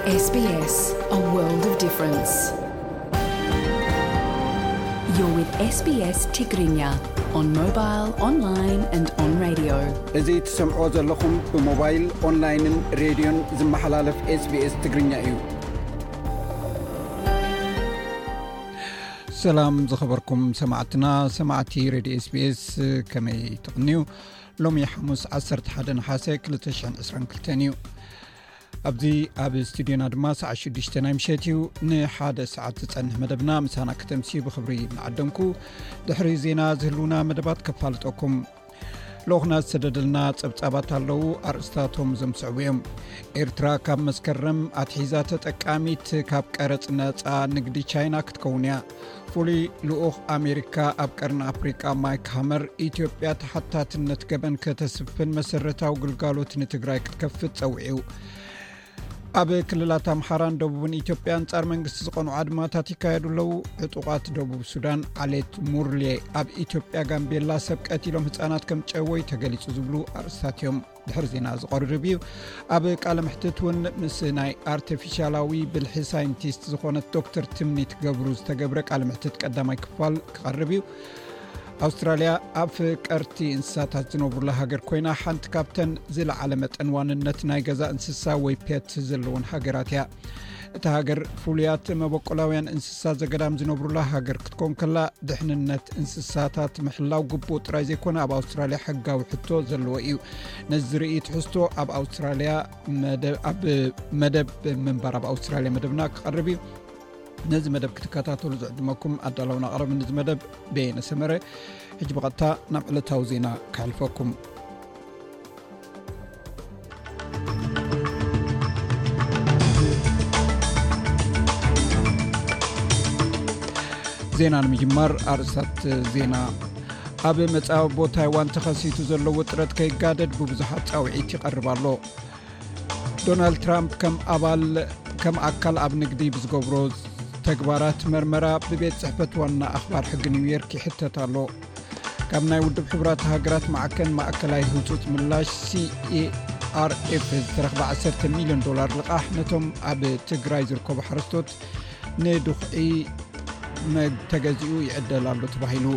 S B S, a world of difference. You're with S B S Tigrinya on mobile, online and on radio. እዚ ትሰምዖ ዘለኹም ብሞባይል፣ ኦንላይንን ሬድዮን ዝመሓላለፍ S B S ትግርኛ እዩ። ሰላም ዝኸበርኩም ሰማዕትና፣ ሰማዕቲ ሬድዮ S B S፣ ከመይ ትቕንዩ? ሎሚ ሓሙስ ዓሰርተ ሓደ ነሓሰ ክልተ ሽሕን ዕስራን ክልተን እዩ። ኣብዚ ኣብ ስቱድዮና ድማ ሰዓት ሽዱሽተ ናይ ምሸት እዩ። ንሓደ ሰዓት ዝጸንሕ መደብና ምሳና ከተምሲ ብኽብሪ እናዓደምኩ፣ ድሕሪ ዜና ዝህልውና መደባት ከፋልጠኩም። ልኡኽና ዝሰደደልና ጸብጻባት ኣለዉ። ኣርእስታቶም ዘምስዕቡ እዮም። ኤርትራ ካብ መስከረም ኣትሒዛ ተጠቃሚት ካብ ቀረጽ ነጻ ንግዲ ቻይና ክትከውን እያ። ፍሉይ ልኡኽ ኣሜሪካ ኣብ ቀርኒ ኣፍሪቃ ማይክ ሃመር፣ ኢትዮጵያ ተሓታትነት ገበን ከተስፍን መሰረታዊ ግልጋሎት ንትግራይ ክትከፍት ጸዊዑ። ኣብ ክልላት ኣምሓራን ደቡብን ኢትዮጵያ ኣንጻር መንግስቲ ዝቐኑ ኣድማታት ይካየዱ ኣለዉ። ዕጡቓት ደቡብ ሱዳን ዓሌት ሙርሌ ኣብ ኢትዮጵያ ጋምቤላ ሰብ ቀቲሎም ህጻናት ከም ጨወዩ ተገሊጹ ዝብሉ ኣርእስታት እዮም ድሕሪ ዜና ዝቐርብ እዩ። ኣብ ቃለ መሕትት እውን ምስ ናይ ኣርቲፊሻላዊ ብልሒ ሳይንቲስት ዝኾነት ዶክተር ትምኒት ገብሩ ዝተገብረ ቃለ መሕትት ቀዳማይ ክፋል ክቐርብ እዩ። ኣውስትራልያ ኣፍቀርቲ እንስሳታት ዝነብሩላ ሃገር ኮይና፣ ሓንቲ ካብተን ዝለዓለ መጠን ዋንነት ናይ ገዛ እንስሳ ወይ ፔት ዘለወን ሃገራት እያ። እታ ሃገር ፍሉያት መበቆላውያን እንስሳ ዘገዳም ዝነብሩላ ሃገር ክትኮን ከላ፣ ድሕንነት እንስሳታት ምሕላው ግቡእ ጥራይ ዘይኮነ፣ ኣብ ኣውስትራልያ ሕጋዊ ሕቶ ዘለዎ እዩ። ነዚ ዝርኢ ትሕዝቶ ኣብ ኣውስትራልያ መደ-፣ ኣብ መደብ ምንባር ኣብ ኣውስትራልያ መደብና ክቐርብ እዩ። ነዚ መደብ ክትከታተሉ ዝዕድመኩም ኣዳላውን ኣቕረብን እዚ መደብ በየነ ሰመረ። ሕጂ ብቐጥታ ናብ ዕለታዊ ዜና ከሕልፈኩም። ዜና ንምጅማር ኣርእስታት ዜና። ኣብ መጻብቦ ታይዋን ተኸሲቱ ዘሎ ውጥረት ከይጋደድ ብብዙሓት ጻውዒት ይቐርብ ኣሎ። ዶናልድ ትራምፕ ከም ኣባል፣ ከም ኣካል ኣብ ንግዲ ብዝገብሮ ተግባራት መርመራ ብቤት ጽሕፈት ዋና ኣኽባር ሕጊ ኒውዮርክ ይሕተት ኣሎ። ካብ ናይ ውድብ ሕቡራት ሃገራት ማዕከን ማእከላይ ህጹጽ ምላሽ C E R F ዝተረኽበ ዓሰርተ ሚልዮን ዶላር ልቓሕ ነቶም ኣብ ትግራይ ዝርከቡ ሓረስቶት ንዱኽዒ መ-፣ ተገዚኡ ይዕደል ኣሎ ተባሂሉ።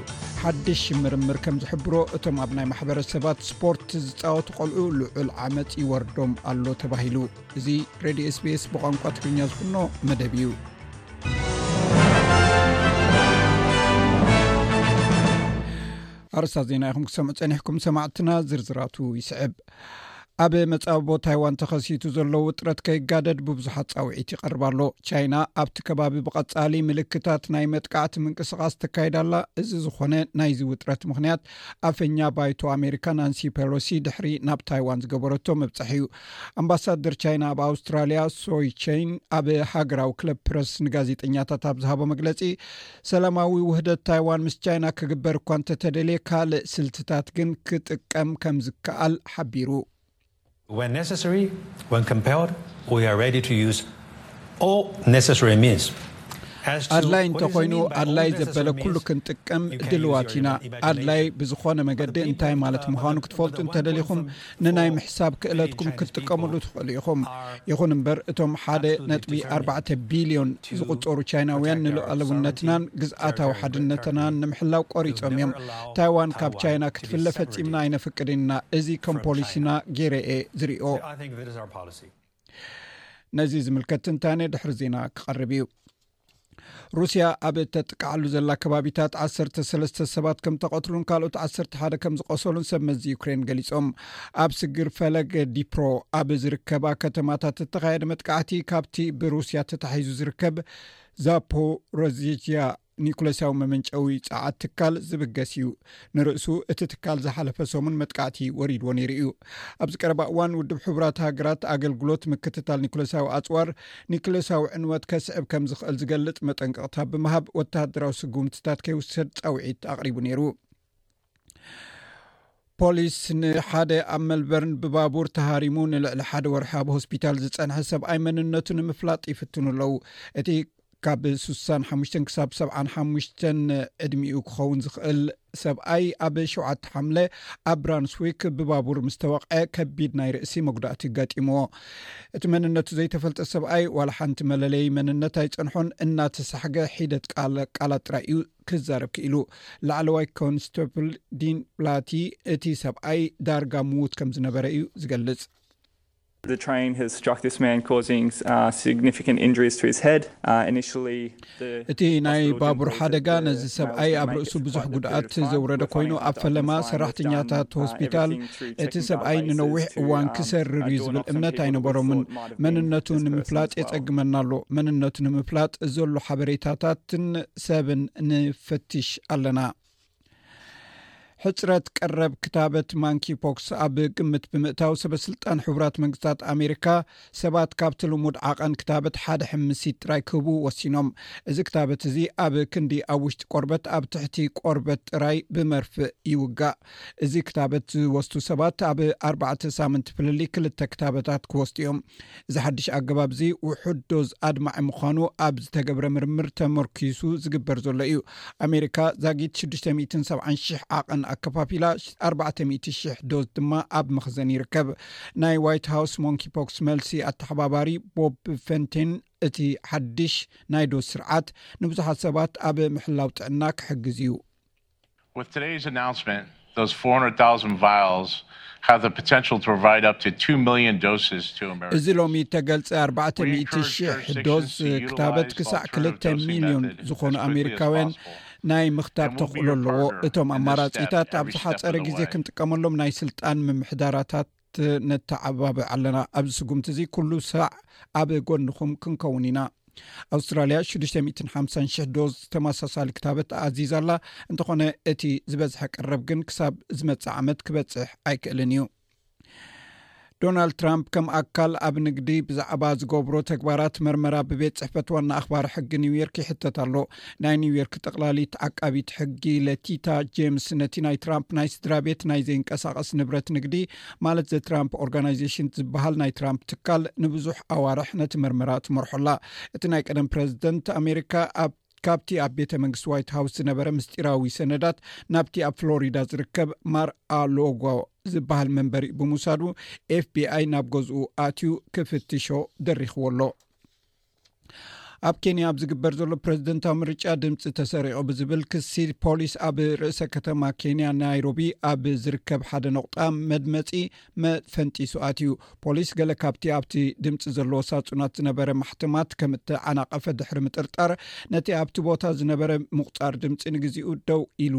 ሓድሽ ምርምር ከም ዝሕብሮ፣ እቶም ኣብ ናይ ማሕበረሰባት ስፖርት ዝጻወቱ ቆልዑ ልዑል ዓመጽ ይወርዶም ኣሎ ተባሂሉ። እዚ ሬድዮ S B S ብቋንቋ ትግርኛ ዝፍኖ መደብ እዩ። ኣርእስታት ዜና ኢኹም ክሰምዑ ጸኒሕኩም ሰማዕትና፣ ዝርዝራቱ ይስዕብ። ኣብ መጻብቦ ታይዋን ተኸሲቱ ዘሎ ውጥረት ከይጋደድ ብብዙሓት ጻውዒት ይቐርብ ኣሎ። ቻይና ኣብቲ ከባቢ ብቐጻሊ ምልክታት ናይ መጥቃዕቲ ምንቅስቓስ ተካይድ ኣላ። እዚ ዝኾነ ናይዚ ውጥረት ምኽንያት ኣፈኛ ባይቶ ኣሜሪካ ናንሲ ፔሎሲ ድሕሪ ናብ ታይዋን ዝገበረቶ ምብጻሕ እዩ። ኣምባሳደር ቻይና ኣብ ኣውስትራልያ ሶይ ቼን ኣብ ሃገራዊ ክለብ ፕረስ ንጋዜጠኛታት ኣብ ዝሃቦ መግለጺ፣ ሰላማዊ ውህደት ታይዋን ምስ ቻይና ክግበር እኳ እንተተደልየ፣ ካልእ ስልትታት ግን ክጥቀም ከም ዝከኣል ሓቢሩ። When necessary, when compelled, we are ready to use all necessary means. As to ኣድላይ what is እንተኾይኑ፣ mean by all ኣድላይ necessary ዘበለ ኩሉ means, ክንጥቀም you can use ድልዋት your ኢና። ima-, ኣድላይ imagination. ብዝኾነ መገዲ እንታይ ማለት ምዃኑ ክትፈልጡ እንተደሊኹም፣ ንናይ ምሕሳብ ክእለትኩም ክትጥቀምሉ ትኽእሉ ኢኹም። ይኹን እምበር፣ እቶም ሓደ ነጥቢ ኣርባዕተ ቢልዮን ዝቑጸሩ ቻይናውያን ንሉዓላውነትናን ግዝኣታዊ ሓድነትናን ንምሕላው ቆሪጾም እዮም። ታይዋን ካብ ቻይና ክትፍለ ፈጺምና ኣይነፍቅድን ኢና። እዚ ከም ፖሊሲና ገይረ እየ ዝሪኦ። I think that is our policy. ነዚ ዝምልከት ትንታነ ድሕሪ ዜና ክቐርብ እዩ። ሩስያ ኣብ እተጥቅዓሉ ዘላ ከባቢታት ዓሰርተ ሰለስተ ሰባት ከም ተቐትሉን ካልኦት ዓሰርተ ሓደ ከም ዝቖሰሉን ሰብ መዚ ዩክሬን ገሊጾም። ኣብ ስግር ፈለግ ዲፕሮ ኣብ ዝርከባ ከተማታት እተኻየደ መጥቃዕቲ፣ ካብቲ ብሩስያ ተታሒዙ ዝርከብ ዛፖሮዚያ ኒኩለሳዊ መመንጨዊ ጸዓት ትካል ዝብገስ እዩ። ንርእሱ እቲ ትካል ዝሓለፈ ሰሙን መጥቃዕቲ ወሪድዎ ነይሩ እዩ። ኣብዚ ቀረባ እዋን ውድብ ሕቡራት ሃገራት ኣገልግሎት ምክትታል ኒኩለሳዊ ኣጽዋር ኒኩለሳዊ ዕንወት ከስዕብ ከም ዝኽእል ዝገልጽ መጠንቀቕታ ብምሃብ ወተሃደራዊ ስጉምትታት ከይውሰድ ጻውዒት ኣቕሪቡ ነይሩ። ፖሊስ ንሓደ ኣብ መልበርን ብባቡር ተሃሪሙ ንልዕሊ ሓደ ወርሒ ኣብ ሆስፒታል ዝጸንሐ ሰብኣይ መንነቱ ንምፍላጥ ይፍትኑ ኣለዉ። እቲ ካብ ስሳን ሓሙሽተን ክሳብ ሰብዓን ሓሙሽተን ዕድሚኡ ክኸውን ዝኽእል ሰብኣይ ኣብ ሸውዓተ ሓምለ ኣብ ብራንስዊክ ብባቡር ምስ ተወቕዐ ከቢድ ናይ ርእሲ መጉዳእቲ ገጢምዎ። እቲ መንነቱ ዘይተፈልጠ ሰብኣይ ዋላ ሓንቲ መለለዪ መንነት ኣይጸንሖን፣ እናተሳሕገ ሒደት ቃል- ቃላት ጥራይ እዩ ክዛረብ ክኢሉ። ላዕለዋይ ኮንስታብል ዲን ብላቲ እቲ ሰብኣይ ዳርጋ ምዉት ከም ዝነበረ እዩ ዝገልጽ። The train has struck this man, causing uh, significant injuries to his head. Uh, initially, the እቲ ናይ ባቡር ሓደጋ ነዚ ሰብኣይ ኣብ ርእሱ ብዙሕ ጉድኣት ዘውረደ ኮይኑ፣ ኣብ ፈለማ ሰራሕተኛታት ሆስፒታል እቲ ሰብኣይ ንነዊሕ እዋን ክሰርር እዩ ዝብል እምነት ኣይነበሮምን። መንነቱ ንምፍላጥ የጸግመና ኣሎ። መንነቱ ንምፍላጥ ዘሎ ሓበሬታታትን ሰብን ንፈትሽ ኣለና። ሕጽረት ቀረብ ክታበት ማንኪ ፖክስ ኣብ ግምት ብምእታው፣ ሰበ ስልጣን ሕቡራት መንግስታት ኣሜሪካ ሰባት ካብቲ ልሙድ ዓቐን ክታበት ሓደ ሕምሲት ጥራይ ክህቡ ወሲኖም። እዚ ክታበት እዚ ኣብ ክንዲ ኣብ ውሽጢ ቆርበት ኣብ ትሕቲ ቆርበት ጥራይ ብመርፍእ ይውጋእ። እዚ ክታበት ዝወስዱ ሰባት ኣብ ኣርባዕተ ሳምንቲ ፍልልይ ክልተ ክታበታት ክወስዱ እዮም። እዚ ሓድሽ ኣገባብ እዚ ውሑድ ዶዝ ኣድማዒ ምዃኑ ኣብ ዝተገብረ ምርምር ተመርኪሱ ዝግበር ዘሎ እዩ። ኣሜሪካ ዛጊት ሽዱሽተ ሚእትን ሰብዓን ሽሕ ዓቐን ኣከፋፊላ፣ ኣርባዕተ ሚእቲ ሽሕ ዶዝ ድማ ኣብ መኽዘን ይርከብ። ናይ ዋይት ሃውስ ሞንኪ ፖክስ መልሲ ኣተሓባባሪ ቦብ ፈንቴን፣ እቲ ሓድሽ ናይ ዶዝ ስርዓት ንብዙሓት ሰባት ኣብ ምሕላው ጥዕና ክሕግዝ እዩ። With today's announcement, those four hundred thousand vials have the potential to provide up to two million doses to Americans. እዚ ሎሚ እተገልጸ ኣርባዕተ ሚእቲ ሽሕ ዶዝ ክታበት ክሳዕ ክልተ ሚልዮን ዝኾኑ ኣሜሪካውያን ናይ ምኽታብ ተኽእሎ ኣለዎ። እቶም ኣማራጺታት ኣብ ዝሓጸረ ግዜ ክንጥቀመሎም ናይ ስልጣን ምምሕዳራታት ነተዓባብዕ ኣለና። ኣብዚ ስጉምቲ እዚ ኩሉ ሳዕ ኣብ ጎንኹም ክንከውን ኢና። ኣውስትራልያ ሽዱሽተ ሚእትን ሓምሳን ሽሕ ዶዝ ተመሳሳሊ ክታበት ኣዚዛ ኣላ። እንተኾነ እቲ ዝበዝሐ ቀረብ ግን ክሳብ ዝመጽእ ዓመት ክበጽሕ ኣይክእልን እዩ። ዶናልድ ትራምፕ ከም ኣካል ኣብ ንግዲ ብዛዕባ ዝገብሮ ተግባራት መርመራ ብቤት ጽሕፈት ዋና ኣኽባሪ ሕጊ ኒውዮርክ ይሕተት ኣሎ። ናይ ኒውዮርክ ጠቕላሊት ዓቃቢት ሕጊ ለቲታ ጄምስ ነቲ ናይ ትራምፕ ናይ ስድራ ቤት ናይ ዘይንቀሳቐስ ንብረት ንግዲ ማለት ዘ ትራምፕ ኦርጋናይዜሽን ዝበሃል ናይ ትራምፕ ትካል ንብዙሕ ኣዋርሕ ነቲ መርመራ ትመርሖ ኣላ። እቲ ናይ ቀደም ፕረዚደንት ኣሜሪካ ኣብ ካብቲ ኣብ ቤተ መንግስቲ ዋይት ሃውስ ዝነበረ ምስጢራዊ ሰነዳት ናብቲ ኣብ ፍሎሪዳ ዝርከብ ማር ኣሎጎ ዝበሃል መንበሪ ብምውሳዱ ኤፍቢኣይ ናብ ገዝኡ ኣትዩ ክፍትሾ ደሪኽዎ ኣሎ። ኣብ ኬንያ ኣብ ዝግበር ዘሎ ፕረዚደንታዊ ምርጫ ድምፂ ተሰሪቑ ብዝብል ክሲ ፖሊስ ኣብ ርእሰ ከተማ ኬንያ ናይሮቢ ኣብ ዝርከብ ሓደ ነቑጣ መድመፂ መፈንጢሱ ኣትዩ። ፖሊስ ገለ ካብቲ ኣብቲ ድምፂ ዘለዎ ሳጹናት ዝነበረ ማሕተማት ከም እተዓናቐፈ ድሕሪ ምጥርጣር፣ ነቲ ኣብቲ ቦታ ዝነበረ ምቑጻር ድምፂ ንግዚኡ ደው ኢሉ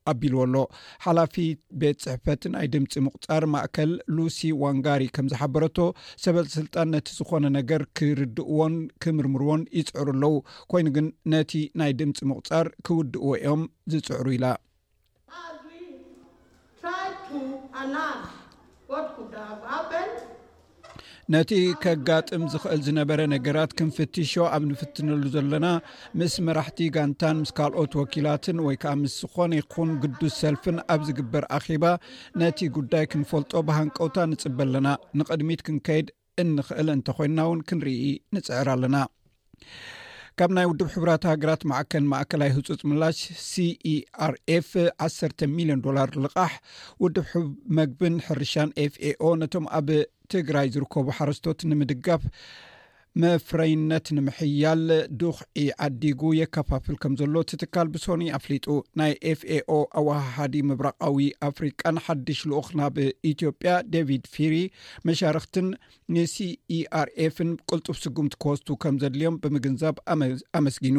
ኣቢልዎ ኣሎ። ሓላፊ ቤት ጽሕፈት ናይ ድምፂ ምቑጻር ማእከል ሉሲ ዋንጋሪ ከም ዝሓበረቶ፣ ሰበ ስልጣን ነቲ ዝኾነ ነገር ክርድእዎን ክምርምርዎን ይጽዕሩ ኣለዉ። ኮይኑ ግን ነቲ ናይ ድምፂ ምቑጻር ክውድእዎ እዮም ዝጽዕሩ ኢላ። As we try to analyze what could have happened, ነቲ ከጋጥም ዝኽእል ዝነበረ ነገራት ክንፍትሾ ኣብ ንፍትነሉ ዘለና፣ ምስ መራሕቲ ጋንታን ምስ ካልኦት ወኪላትን ወይ ከኣ ምስ ዝኾነ ይኹን ግዱስ ሰልፍን ኣብ ዝግበር ኣኼባ ነቲ ጉዳይ ክንፈልጦ ብሃንቀውታ ንጽበ ኣለና። ንቕድሚት ክንከይድ እንኽእል እንተኾይንና እውን ክንርኢ ንጽዕር ኣለና። ካብ ናይ ውድብ ሕቡራት ሃገራት ማዕከን ማእከላይ ህጹጽ ምላሽ ሲኢኣርኤፍ ዓሰርተ ሚልዮን ዶላር ልቓሕ ውድብ ሕብ መግብን ሕርሻን ኤፍኤኦ ነቶም ኣብ ትግራይ ዝርከቡ ሓረስቶት ንምድጋፍ መፍረይነት ንምሕያል ዱኽዒ ዓዲጉ የከፋፍል ከም ዘሎ እቲ ትካል ብሶኒ ኣፍሊጡ። ናይ ኤፍኤኦ ኣወሃሃዲ ምብራቓዊ ኣፍሪቃን ሓድሽ ልኡኽ ናብ ኢትዮጵያ ዴቪድ ፊሪ መሻርኽትን ንሲኢኣርኤፍን ቅልጡፍ ስጉምቲ ክወስዱ ከም ዘድልዮም ብምግንዛብ ኣመ- ኣመስጊኑ።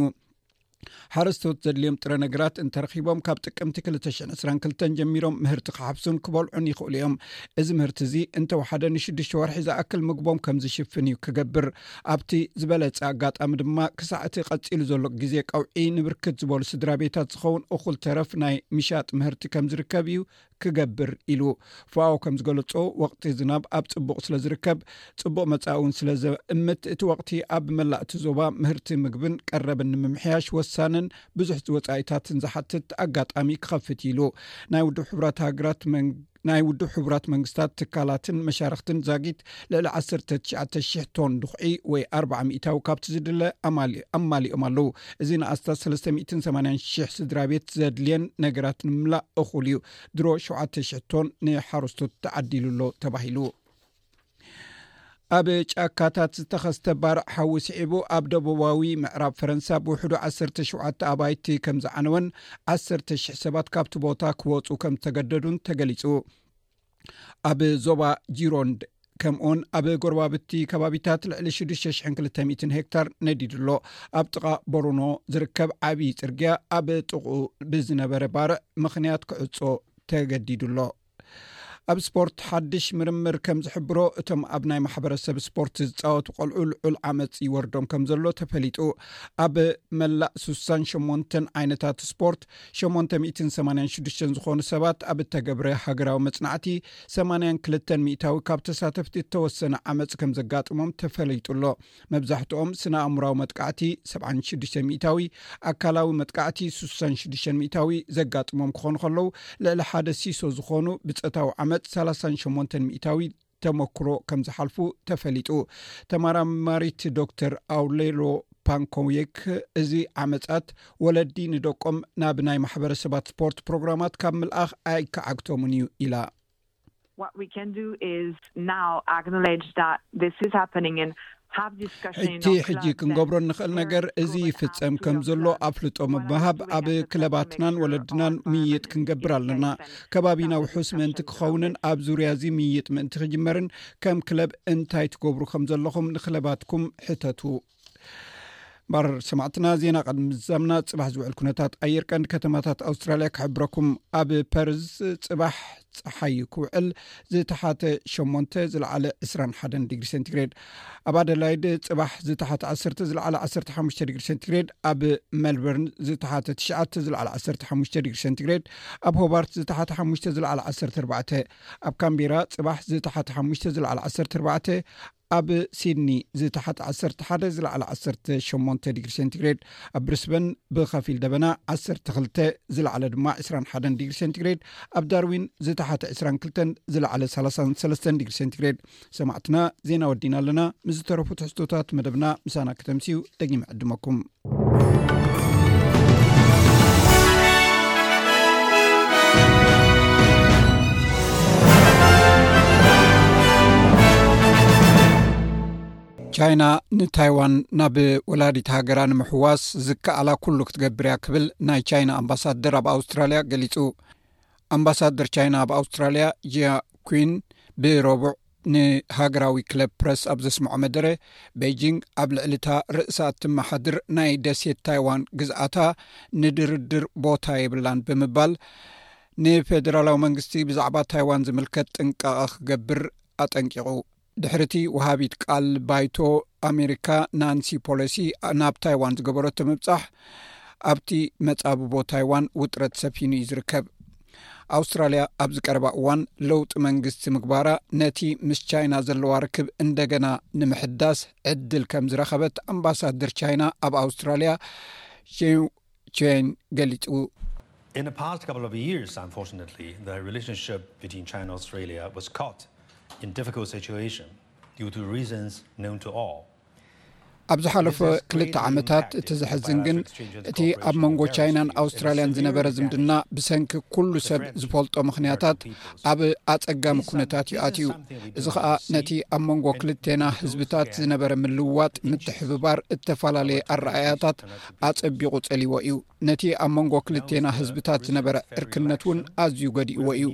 ሓረስቶት ዘድልዮም ጥረ ነገራት እንተረኺቦም ካብ ጥቅምቲ ክልተ ሽሕን ዕስራን ክልተን ጀሚሮም ምህርቲ ክሓፍሱን ክበልዑን ይኽእሉ እዮም። እዚ ምህርቲ እዚ እንተወሓደ ንሽዱሽተ ወርሒ ዝኣክል ምግቦም ከም ዝሽፍን እዩ ክገብር። ኣብቲ ዝበለጸ ኣጋጣሚ ድማ ክሳዕ እቲ ቀጺሉ ዘሎ ግዜ ቀውዒ ንብርክት ዝበሉ ስድራ ቤታት ዝኸውን እኹል ተረፍ ናይ ምሻጥ ምህርቲ ከም ዝርከብ እዩ ክገብር ኢሉ። ፋኦ ከም ዝገለጾ ወቕቲ ዝናብ ኣብ ጽቡቕ ስለ ዝርከብ ጽቡቕ መጻኢ እውን ስለ ዘእምት እቲ ወቕቲ ኣብ መላእ እቲ ዞባ ምህርቲ ምግብን ቀረብን ንምምሕያሽ ወሳንን ብዙሕ ወጻኢታትን ዝሓትት ኣጋጣሚ ክኸፍት ኢሉ። ናይ ውድብ ሕቡራት ሃገራት መን- ናይ ውድብ ሕቡራት መንግስታት ትካላትን መሻርክትን ዛጊት ልዕሊ ዓሰርተ ትሽዓተ ሽሕ ቶን ድኹዒ ወይ ኣርባዓ ሚእታዊ ካብቲ ዝድለ ኣማሊ-፣ ኣማሊኦም ኣለዉ። እዚ ንኣስታት ሰለስተ ሚእትን ሰማንያን ሽሕ ስድራ ቤት ዘድልየን ነገራት ንምምላእ እኹል እዩ። ድሮ ሸውዓተ ሽሕ ቶን ንሓረስቶት ተዓዲሉ ኣሎ ተባሂሉ። ኣብ ጫካታት ዝተኸስተ ባርዕ ሓዊ ስዒቡ ኣብ ደቡባዊ ምዕራብ ፈረንሳ ብውሕዱ ዓሰርተ ሸውዓተ ኣባይቲ ከም ዝዓነወን ዓሰርተ ሽሕ ሰባት ካብቲ ቦታ ክወፁ ከም ዝተገደዱን ተገሊፁ። ኣብ ዞባ ጂሮንድ ከምኡውን ኣብ ጎረባብቲ ከባቢታት ልዕሊ ሽዱሽተ ሽሕን ክልተ ሚእትን ሄክታር ነዲዱ ኣሎ። ኣብ ጥቓ ቦሩኖ ዝርከብ ዓብዪ ጽርግያ ኣብ ጥቕኡ ብዝነበረ ባርዕ ምኽንያት ክዕጾ ተገዲዱ ኣሎ። ኣብ ስፖርት ሓድሽ ምርምር ከም ዝሕብሮ፣ እቶም ኣብ ናይ ማሕበረሰብ ስፖርት ዝጻወቱ ቆልዑ ልዑል ዓመጽ ይወርዶም ከም ዘሎ ተፈሊጡ። ኣብ መላእ ስሳን ሸሞንተን ዓይነታት ስፖርት ሸሞንተ ሚእትን ሰማንያን ሽዱሽተን ዝኾኑ ሰባት ኣብ እተገብረ ሃገራዊ መጽናዕቲ ሰማንያን ክልተን ሚእታዊ ካብ ተሳተፍቲ እተወሰነ ዓመጽ ከም ዘጋጥሞም ተፈሊጡ ኣሎ። መብዛሕትኦም ስነ ኣእምራዊ መጥቃዕቲ፣ ሰብዓን ሽዱሽተ ሚእታዊ ኣካላዊ መጥቃዕቲ፣ ስሳን ሽዱሽተን ሚእታዊ ዘጋጥሞም ክኾኑ ከለዉ፣ ልዕሊ ሓደ ሲሶ ዝኾኑ ብጾታዊ ዓመጽ፣ ሰላሳን ሸሞንተን ሚእታዊ ተመክሮ ከም ዝሓልፉ ተፈሊጡ። ተመራማሪት ዶክተር ኣውሌሎ ፓንኮየክ፣ እዚ ዓመጻት ወለዲ ንደቆም ናብ ናይ ማሕበረሰባት ስፖርት ፕሮግራማት ካብ ምልኣኽ ኣይከዓግቶምን እዩ ኢላ። What we can do is now acknowledge that this is happening and have discussion in ሕጂ our ሕጂ clubs ክንገብሮ and እንኽእል ነገር parents እዚ go and ይፍጸም ask ከም to ዘሎ apply ኣፍልጦ ምብሃብ ኣብ ክለባትናን ወለድናን ምይይጥ ክንገብር ኣለና። ከባቢና ውሑስ ምእንቲ ክኸውንን ኣብ ዙርያ እዚ ምይይጥ ምእንቲ ክጅመርን ከም ክለብ እንታይ ትገብሩ ከም ዘለኹም ንክለባትኩም ሕተቱ። ባር ሰማዕትና፣ ዜና ቅድሚ ምዛምና ጽባሕ ዝውዕል ኩነታት ኣየር ቀንዲ ከተማታት ኣውስትራልያ ክሕብረኩም። ኣብ ፐርዝ ጽባሕ ጸሓይ ክውዕል፣ ዝተሓተ ሸሞንተ ዝለዓለ ዕስራን ሓደን ዲግሪ ሴንቲግሬድ። ኣብ ኣደላይድ ጽባሕ ዝተሓተ ዓሰርተ ዝለዓለ ዓሰርተ ሓሙሽተ ዲግሪ ሴንቲግሬድ። ኣብ ሜልበርን ዝተሓተ ትሽዓተ ዝለዓለ ዓሰርተ ሓሙሽተ ዲግሪ ሴንቲግሬድ። ኣብ ሆባርት ዝተሓተ ሓሙሽተ ዝለዓለ ዓሰርተ ኣርባዕተ። ኣብ ካምቤራ ጽባሕ ዝተሓተ ሓሙሽተ ዝለዓለ ዓሰርተ ኣርባዕተ። ኣብ ሲድኒ ዝተሓተ ዓሰርተ ሓደ ዝለዓለ ዓሰርተ ሸሞንተ ዲግሪ ሴንቲግሬድ። ኣብ ብሪስበን ብኸፊል ደበና ዓሰርተ ክልተ ዝለዓለ ድማ ዕስራን ሓደን ዲግሪ ሴንቲግሬድ። ኣብ ዳርዊን ዝተሓተ ዕስራን ክልተን ዝለዓለ ሰላሳን ሰለስተን ዲግሪ ሴንቲግሬድ። ሰማዕትና፣ ዜና ወዲና ኣለና። ምስ ዝተረፉ ትሕዝቶታት መደብና ምሳና ከተምስዩ ደጊመ ዕድመኩም። ቻይና ንታይዋን ናብ ወላዲት ሃገራ ንምሕዋስ ዝከኣላ ኩሉ ክትገብር እያ ክብል ናይ ቻይና ኣምባሳደር ኣብ ኣውስትራልያ ገሊጹ። ኣምባሳደር ቻይና ኣብ ኣውስትራልያ ጂያ ኩን ብረቡዕ ንሃገራዊ ክለብ ፕረስ ኣብ ዘስምዖ መደረ፣ ቤጂንግ ኣብ ልዕሊ እታ ርእሳ እትመሓድር ናይ ደሴት ታይዋን ግዝኣታ ንድርድር ቦታ የብላን ብምባል፣ ንፌደራላዊ መንግስቲ ብዛዕባ ታይዋን ዝምልከት ጥንቃቐ ክገብር ኣጠንቂቑ። ድሕሪ እቲ ወሃቢት ቃል ባይቶ ኣሜሪካ ናንሲ ፖሎሲ ናብ ታይዋን ዝገበረቶ ምብጻሕ፣ ኣብቲ መጻብቦ ታይዋን ውጥረት ሰፊኑ እዩ ዝርከብ። ኣውስትራልያ ኣብዚ ቀረባ እዋን ለውጢ መንግስቲ ምግባራ፣ ነቲ ምስ ቻይና ዘለዋ ርክብ እንደገና ንምሕዳስ ዕድል ከም ዝረኸበት ኣምባሳደር ቻይና ኣብ ኣውስትራልያ ሼው ቼን ገሊጹ። In the past couple of years, unfortunately, the relationship between China and Australia was caught in difficult situation due to reasons known to all. ኣብ ዝሓለፈ ክልተ ዓመታት፣ እቲ ዘሕዝን ግን፣ እቲ ኣብ መንጎ ቻይናን ኣውስትራልያን ዝነበረ ዝምድና ብሰንኪ ኩሉ ሰብ ዝፈልጦ ምኽንያታት ኣብ ኣጸጋሚ ኩነታት እዩ ኣትዩ። እዚ ኸኣ ነቲ ኣብ መንጎ ክልቴና ህዝብታት ዝነበረ ምልውዋጥ፣ ምትሕብባር፣ እተፈላለየ ኣረኣእያታት ኣጸቢቑ ጸሊዎ እዩ። ነቲ ኣብ መንጎ ክልቴና ህዝብታት ዝነበረ ዕርክነት እውን ኣዝዩ ጎዲእዎ እዩ።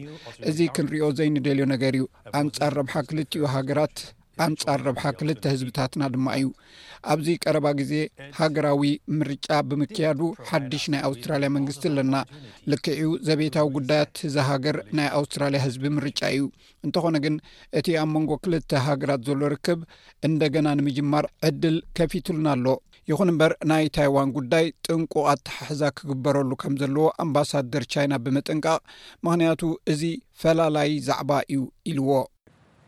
እዚ ክንሪኦ ዘይንደልዮ ነገር እዩ። ኣንጻር ረብሓ ክልቲኡ ሃገራት፣ ኣንጻር ረብሓ ክልተ ህዝብታትና ድማ እዩ። ኣብዚ ቀረባ ግዜ ሃገራዊ ምርጫ ብምክያዱ፣ ሓድሽ ናይ ኣውስትራልያ መንግስቲ ኣለና። ልክዕ እዩ፣ ዘቤታዊ ጉዳያት እዛ ሃገር ናይ ኣውስትራልያ ህዝቢ ምርጫ እዩ። እንተኾነ ግን፣ እቲ ኣብ መንጎ ክልተ ሃገራት ዘሎ ርክብ እንደገና ንምጅማር ዕድል ከፊቱልና ኣሎ። ይኹን እምበር፣ ናይ ታይዋን ጉዳይ ጥንቁቕ ኣተሓሕዛ ክግበረሉ ከም ዘለዎ ኣምባሳደር ቻይና ብምጥንቃቕ፣ ምኽንያቱ እዚ ፈላላይ ዛዕባ እዩ ኢልዎ።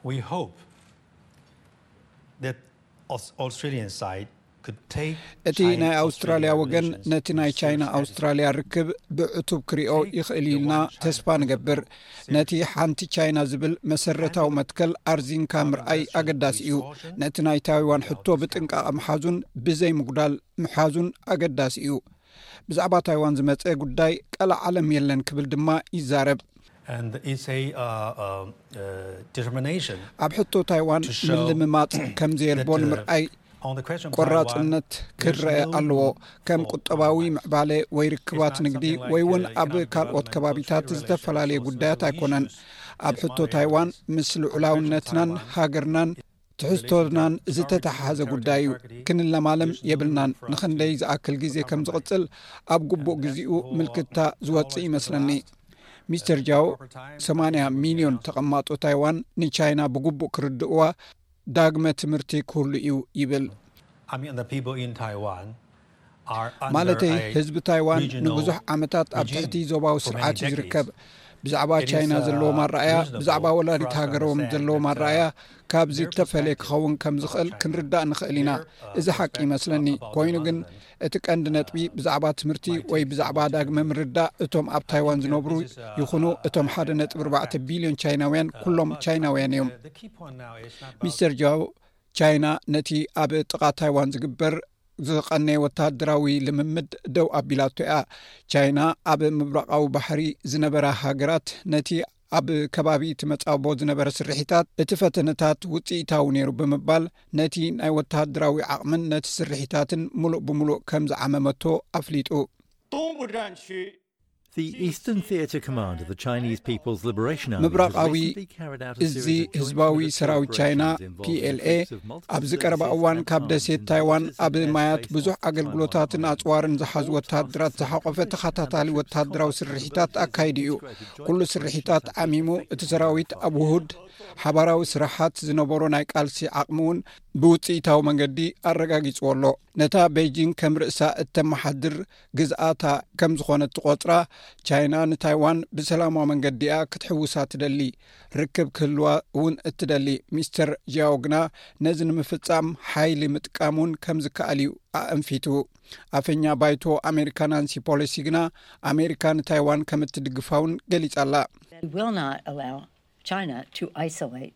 We hope that Aus-, Australian side እቲ ናይ ኣውስትራልያ ወገን ነቲ ናይ ቻይና ኣውስትራልያ ርክብ ብዕቱብ ክሪኦ ይኽእል ኢልና ተስፋ ንገብር። ነቲ ሓንቲ ቻይና ዝብል መሰረታዊ መትከል ኣርዚንካ ምርኣይ ኣገዳሲ እዩ። ነቲ ናይ ታይዋን ሕቶ ብጥንቃቐ ምሓዙን ብዘይ ምጉዳል ምሓዙን ኣገዳሲ እዩ። ብዛዕባ ታይዋን ዝመጸ ጉዳይ ቀላዕ ዓለም የለን ክብል ድማ ይዛረብ። And it's a uh, uh, uh, determination ኣብ ሕቶ ታይዋን to show ምልምማጽ ከም ዘየልቦ that, uh, ንምርኣይ on the question of Taiwan, ቆራጽነት there's ክረአ no ኣለዎ። ከም for ቁጠባዊ Taiwan. ምዕባለ ወይ ርክባት It's not ንግዲ something like, ወይ እውን uh, ኣብ economic ካልኦት development or ከባቢታት trade ዝተፈላለየ relations. ጉዳያት Those are ኣይኮነን። issues ኣብ that ሕቶ monitor ታይዋን this. ምስ ልዑላውነትናን ሃገርናን ትሕዝቶናን ዝተተሓሓዘ ጉዳይ እዩ። ክንለማለም የብልናን። ንኽንደይ ዝኣክል ግዜ ከም ዝቕጽል ኣብ ግቡእ ግዜኡ ምልክታ ዝወጽእ ይመስለኒ። ሚስተር ጃው ሰማንያ ሚልዮን ተቐማጦ ታይዋን ንቻይና ብግቡእ ክርድእዋ ዳግመ ትምህርቲ ክህሉ እዩ ይብል። I mean, the people in Taiwan are under ማለተይ a ህዝቢ ታይዋን regional ንብዙሕ ዓመታት ኣብ regime ትሕቲ ዞባዊ for many ስርዓት እዩ decades. ዝርከብ። ብዛዕባ It is, ቻይና uh, ዘለዎም ኣረኣያ reasonable ብዛዕባ for ወላዲት us to ሃገሮም understand ዘለዎም that, uh, ኣረኣያ ካብ their ዝተፈለየ perspective ክኸውን ከም about ዝኽእል China, ክንርዳእ ንኽእል ኢና። their, uh, እዚ ሓቂ perspective ይመስለኒ። about ኮይኑ ግን development እቲ ቀንዲ ነጥቢ ብዛዕባ ትምህርቲ ወይ ብዛዕባ ዳግመ ምርዳእ እቶም ኣብ ታይዋን ዝነብሩ ይኹኑ እቶም ሓደ ነጥቢ ኣርባዕተ ቢልዮን ቻይናውያን ኩሎም ቻይናውያን እዮም። The key point now is not about ሚስተር ጃው ቻይና ነቲ ኣብ ጥቓ ታይዋን ዝግበር ዝቐነየ ወተሃደራዊ ልምምድ ደው ኣቢላቶ እያ። ቻይና ኣብ ምብራቓዊ ባሕሪ ዝነበራ ሃገራት ነቲ ኣብ ከባቢ እቲ መጻብቦ ዝነበረ ስርሒታት እቲ ፈተነታት ውጽኢታዊ ነይሩ ብምባል ነቲ ናይ ወተሃደራዊ ዓቕምን ነቲ ስርሒታትን ምሉእ ብምሉእ ከም ዝዓመመቶ ኣፍሊጡ። 东部战区 The Eastern Theatre Command of the Chinese People's Liberation Army ምብራቓዊ has recently carried out a እዚ series of joint ህዝባዊ military ሰራዊት operations ቻይና involving ፒኤልኤ the troops of multiple ኣብዚ ቀረባ cities እዋን and ካብ towns ደሴት in ታይዋን North ኣብ East ማያት Asia ብዙሕ Pacific ኣገልግሎታትን Taiwan ኣጽዋርን ዝሓዙ ወተሃደራት ዝሓቆፈ ተኸታታሊ ወተሃደራዊ ስርሒታት ኣካይዱ እዩ። ኩሉ ስርሒታት ዓሚሙ እቲ ሰራዊት ኣብ ውሁድ ሓባራዊ ስራሓት ዝነበሮ ናይ ቃልሲ ዓቕሚ እውን ብውፅኢታዊ መንገዲ ኣረጋጊፅዎ ኣሎ። ነታ ቤጂንግ ከም ርእሳ እተመሓድር ግዝኣታ ከም ዝኾነት ትቖጽራ ቻይና ንታይዋን ብሰላማዊ መንገዲ እያ ክትሕውሳ ትደሊ። ርክብ ክህልዋ እውን እትደሊ። ሚስተር ጂያዎ ግና ነዚ ንምፍጻም ሓይሊ ምጥቃም እውን ከም ዝከኣል እዩ ኣእንፊቱ። ኣፈኛ ባይቶ ኣሜሪካ ናንሲ ፖሎሲ ግና ኣሜሪካ ንታይዋን ከም እትድግፋ እውን ገሊጻ ኣላ። We will not allow China to isolate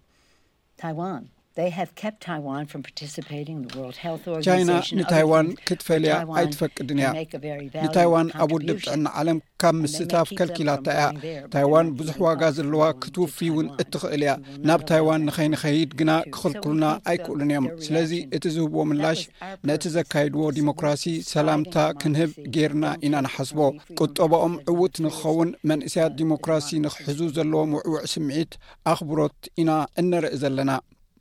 Taiwan. They have kept Taiwan from participating in the World Health ቻይና Organization. ንታይዋን Other things, ክትፈልያ but Taiwan ኣይትፈቅድን እያ። can make a very valued ንታይዋን ኣብ ውድብ contribution. ጥዕና ዓለም ካብ ምስታፍ ከልኪላታ እያ። ታይዋን ብዙሕ ዋጋ ዘለዋ ክትውፊ እውን እትኽእል እያ። ናብ ታይዋን ንኸይንኸይድ ግና ክኽልክሉና ኣይክእሉን እዮም። ስለዚ እቲ ዝህብዎ ምላሽ ነቲ ዘካይድዎ ዲሞክራሲ ሰላምታ ክንህብ ጌርና ኢና ንሓስቦ። ቁጠባኦም ዕዉት ንክኸውን መንእሰያት ዲሞክራሲ ንክሕዙ ዘለዎም ውዕውዕ ስምዒት ኣኽብሮት ኢና እነርኢ ዘለና።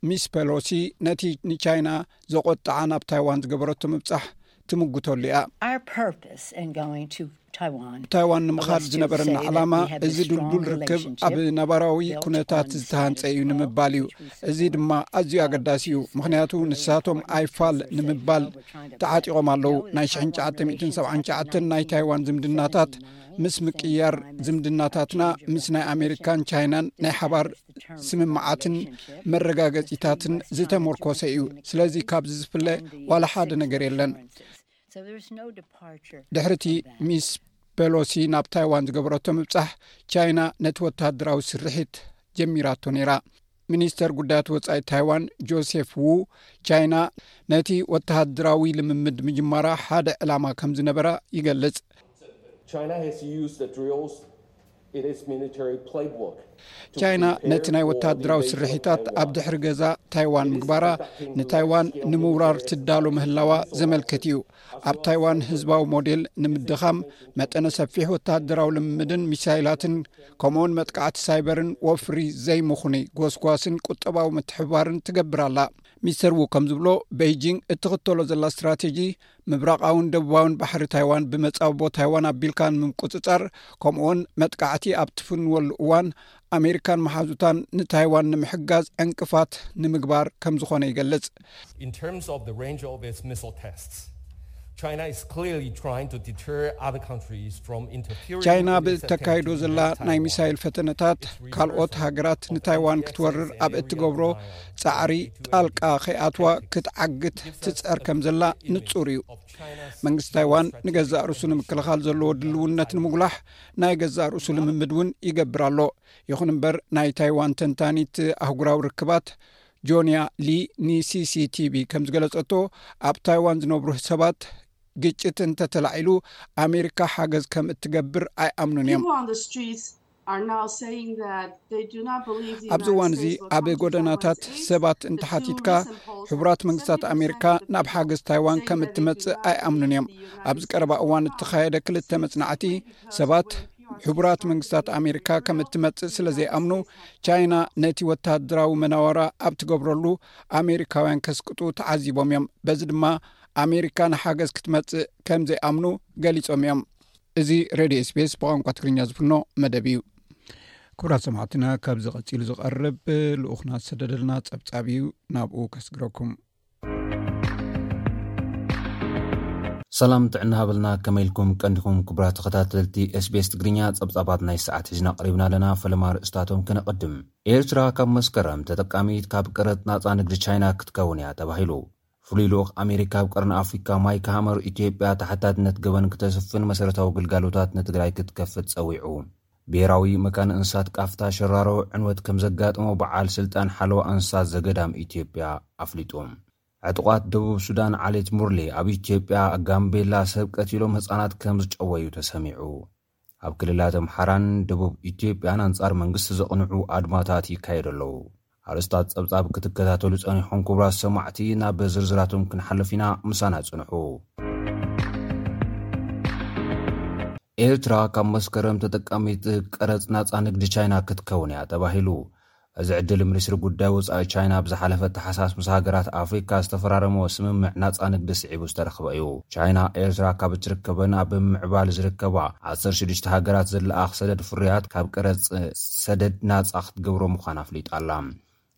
ሚስ ፔሎሲ ነቲ ንቻይና ዘቆጥዓ ናብ ታይዋን ዝገበረቶ ምብጻሕ ትምጉተሉ እያ። Our purpose in going to Taiwan ታይዋን ንምኻድ ዝነበረና ዓላማ እዚ ድልዱል ርክብ ኣብ ነባራዊ ኩነታት ዝተሃንጸ እዩ ንምባል እዩ። እዚ ድማ ኣዝዩ ኣገዳሲ እዩ። ምኽንያቱ ንሳቶም ኣይፋል ንምባል ተዓጢቖም ኣለዉ። ናይ ሽሕን ትሽዓተ ሚእትን ሰብዓን ትሽዓተን ናይ ታይዋን ዝምድናታት ምስ ምቅያር ዝምድናታትና ምስ ናይ ኣሜሪካን ቻይናን ናይ ሓባር ስምምዓትን መረጋገጺታትን ዝተመርኮሰ እዩ። ስለዚ ካብዚ ዝፍለ ዋላ ሓደ ነገር የለን። ድሕርቲ ሚስ ፔሎሲ ናብ ታይዋን ዝገበረቶ ምብጻሕ ቻይና ነቲ ወተሃደራዊ ስርሒት ጀሚራቶ ነይራ። ሚኒስተር ጉዳያት ወጻኢ ታይዋን ጆሴፍ ዉ ቻይና ነቲ ወተሃደራዊ ልምምድ ምጅማራ ሓደ ዕላማ ከም ዝነበራ ይገልጽ። China has used the drills in its military playbook. ቻይና ነቲ ናይ ወተሃደራዊ ስርሒታት ኣብ ድሕሪ ገዛ ታይዋን ምግባራ ንታይዋን ንምውራር ትዳሎ ምህላዋ ዘመልክት እዩ። ኣብ ታይዋን ህዝባዊ ሞዴል ንምድኻም መጠነ ሰፊሕ ወተሃደራዊ ልምምድን ሚሳይላትን ከምኡውን መጥቃዕቲ ሳይበርን ወፍሪ ዘይምኹኒ ጎስጓስን ቁጠባዊ ምትሕብባርን ትገብር ኣላ። ሚስተር ዉ ከም ዝብሎ ቤይጂንግ እትኽተሎ ዘላ ስትራቴጂ ምብራቓውን ደቡባውን ባሕሪ ታይዋን ብመጻብቦ ታይዋን ኣቢልካ ንምቁጽጻር ከምኡውን መጥቃዕቲ ኣብ ትፍንወሉ እዋን ኣሜሪካን መሓዙታን ንታይዋን ንምሕጋዝ ዕንቅፋት ንምግባር ከም ዝኾነ ይገልጽ። In terms of the range of its missile tests, China is clearly trying to deter other countries from interfering ቻይና with its attempt ብእተካይዶ to ዘላ invade ናይ Taiwan. ሚሳይል ፈተነታት ካልኦት ሃገራት ንታይዋን ክትወርር ኣብ እትገብሮ ጻዕሪ ጣልቃ ከይኣትዋ ክትዓግት ትጸር ከም ዘላ ንጹር እዩ። መንግስቲ ታይዋን ንገዛእ ርእሱ ንምክልኻል ዘለዎ ድልውነት ንምጉላሕ ናይ ገዛእ ርእሱ ልምምድ እውን ይገብር ኣሎ። ይኹን እምበር ናይ ታይዋን ተንታኒት ኣህጉራዊ ርክባት ጆንያ ሊ ንሲሲቲቪ ከም ዝገለጸቶ ኣብ ታይዋን ዝነብሩ ሰባት ግጭት እንተተላዒሉ ኣሜሪካ ሓገዝ ከም እትገብር ኣይኣምኑን እዮም። People on the streets are now saying that they do not believe the ኣብዚ United እዋን እዚ States will ኣብ come to ጎደናታት Taiwan's aid. ሰባት እንተሓቲትካ ሕቡራት መንግስታት ኣሜሪካ ናብ ሓገዝ ታይዋን ከም እትመጽእ ኣይኣምኑን እዮም። ኣብዚ ቀረባ እዋን እተኻየደ ክልተ መጽናዕቲ ሰባት ሕቡራት መንግስታት ኣሜሪካ ከም እትመጽእ ስለ ዘይኣምኑ ቻይና ነቲ ወታደራዊ መናወራ ኣብ ትገብረሉ ኣሜሪካውያን ከስቅጡ ተዓዚቦም እዮም። በዚ ድማ ኣሜሪካ ንሓገዝ ክትመጽእ ከም ዘይኣምኑ ገሊጾም እዮም። እዚ ሬድዮ ስፔስ ብቋንቋ ትግርኛ ዝፍኖ መደብ እዩ። ክቡራት ሰማዕትና፣ ካብዚ ቀጺሉ ዝቐርብ ልኡኽና ዝሰደደልና ጸብጻብ እዩ። ናብኡ ከስግረኩም። ሰላም ጥዕና ሃበልና፣ ከመይ ኢልኩም ቀንዲኹም ክቡራት ተኸታተልቲ ኤስቢኤስ ትግርኛ? ጸብጻባት ናይ ሰዓት ሒዝና ቀሪብና ኣለና። ፈለማ ርእስታቶም ክነቐድም። ኤርትራ ካብ መስከረም ተጠቃሚት ካብ ቀረጽ ናጻ ንግዲ ቻይና ክትከውን እያ ተባሂሉ። ፍሉይ ልኡኽ ኣሜሪካ ኣብ ቀርኒ ኣፍሪካ ማይክ ሃመር፣ ኢትዮጵያ ተሓታትነት ገበን ክተስፍን መሰረታዊ ግልጋሎታት ንትግራይ ክትከፍት ጸዊዑ። ብሄራዊ መካነ እንስሳት ቃፍታ ሸራሮ ዕንወት ከም ዘጋጠሞ በዓል ስልጣን ሓለዋ እንስሳት ዘገዳም ኢትዮጵያ ኣፍሊጡ። ዕጡቓት ደቡብ ሱዳን ዓሌት ሙርሌ ኣብ ኢትዮጵያ ጋምቤላ ሰብ ቀቲሎም ህጻናት ከም ዝጨወዩ ተሰሚዑ። ኣብ ክልላት ኣምሓራን ደቡብ ኢትዮጵያን ኣንጻር መንግስቲ ዘቕንዑ ኣድማታት ይካየዱ ኣለዉ። ኣርእስታት ጸብጻብ ክትከታተሉ ጸኒሖም ክቡራት ሰማዕቲ፣ ናብ ዝርዝራቶም ክንሓልፍ ኢና። ምሳና ጽንሑ። ኤርትራ ካብ መስከረም ተጠቃሚት ቀረጽ ናጻ ንግዲ ቻይና ክትከውን እያ ተባሂሉ። እዚ ዕድል ሚኒስትሪ ጉዳይ ወጻኢ ቻይና ኣብ ዝሓለፈ ታሕሳስ ምስ ሃገራት ኣፍሪካ ዝተፈራረመዎ ስምምዕ ናጻ ንግዲ ስዒቡ ዝተረኽበ እዩ። ቻይና ኤርትራ ካብ እትርከበን ኣብ ምምዕባል ዝርከባ ዓሰርተ ሽዱሽተ ሃገራት ዝለኣኽ ሰደድ ፍርያት ካብ ቀረጽ ሰደድ ናጻ ክትገብሮ ምዃና ኣፍሊጣ ኣላ።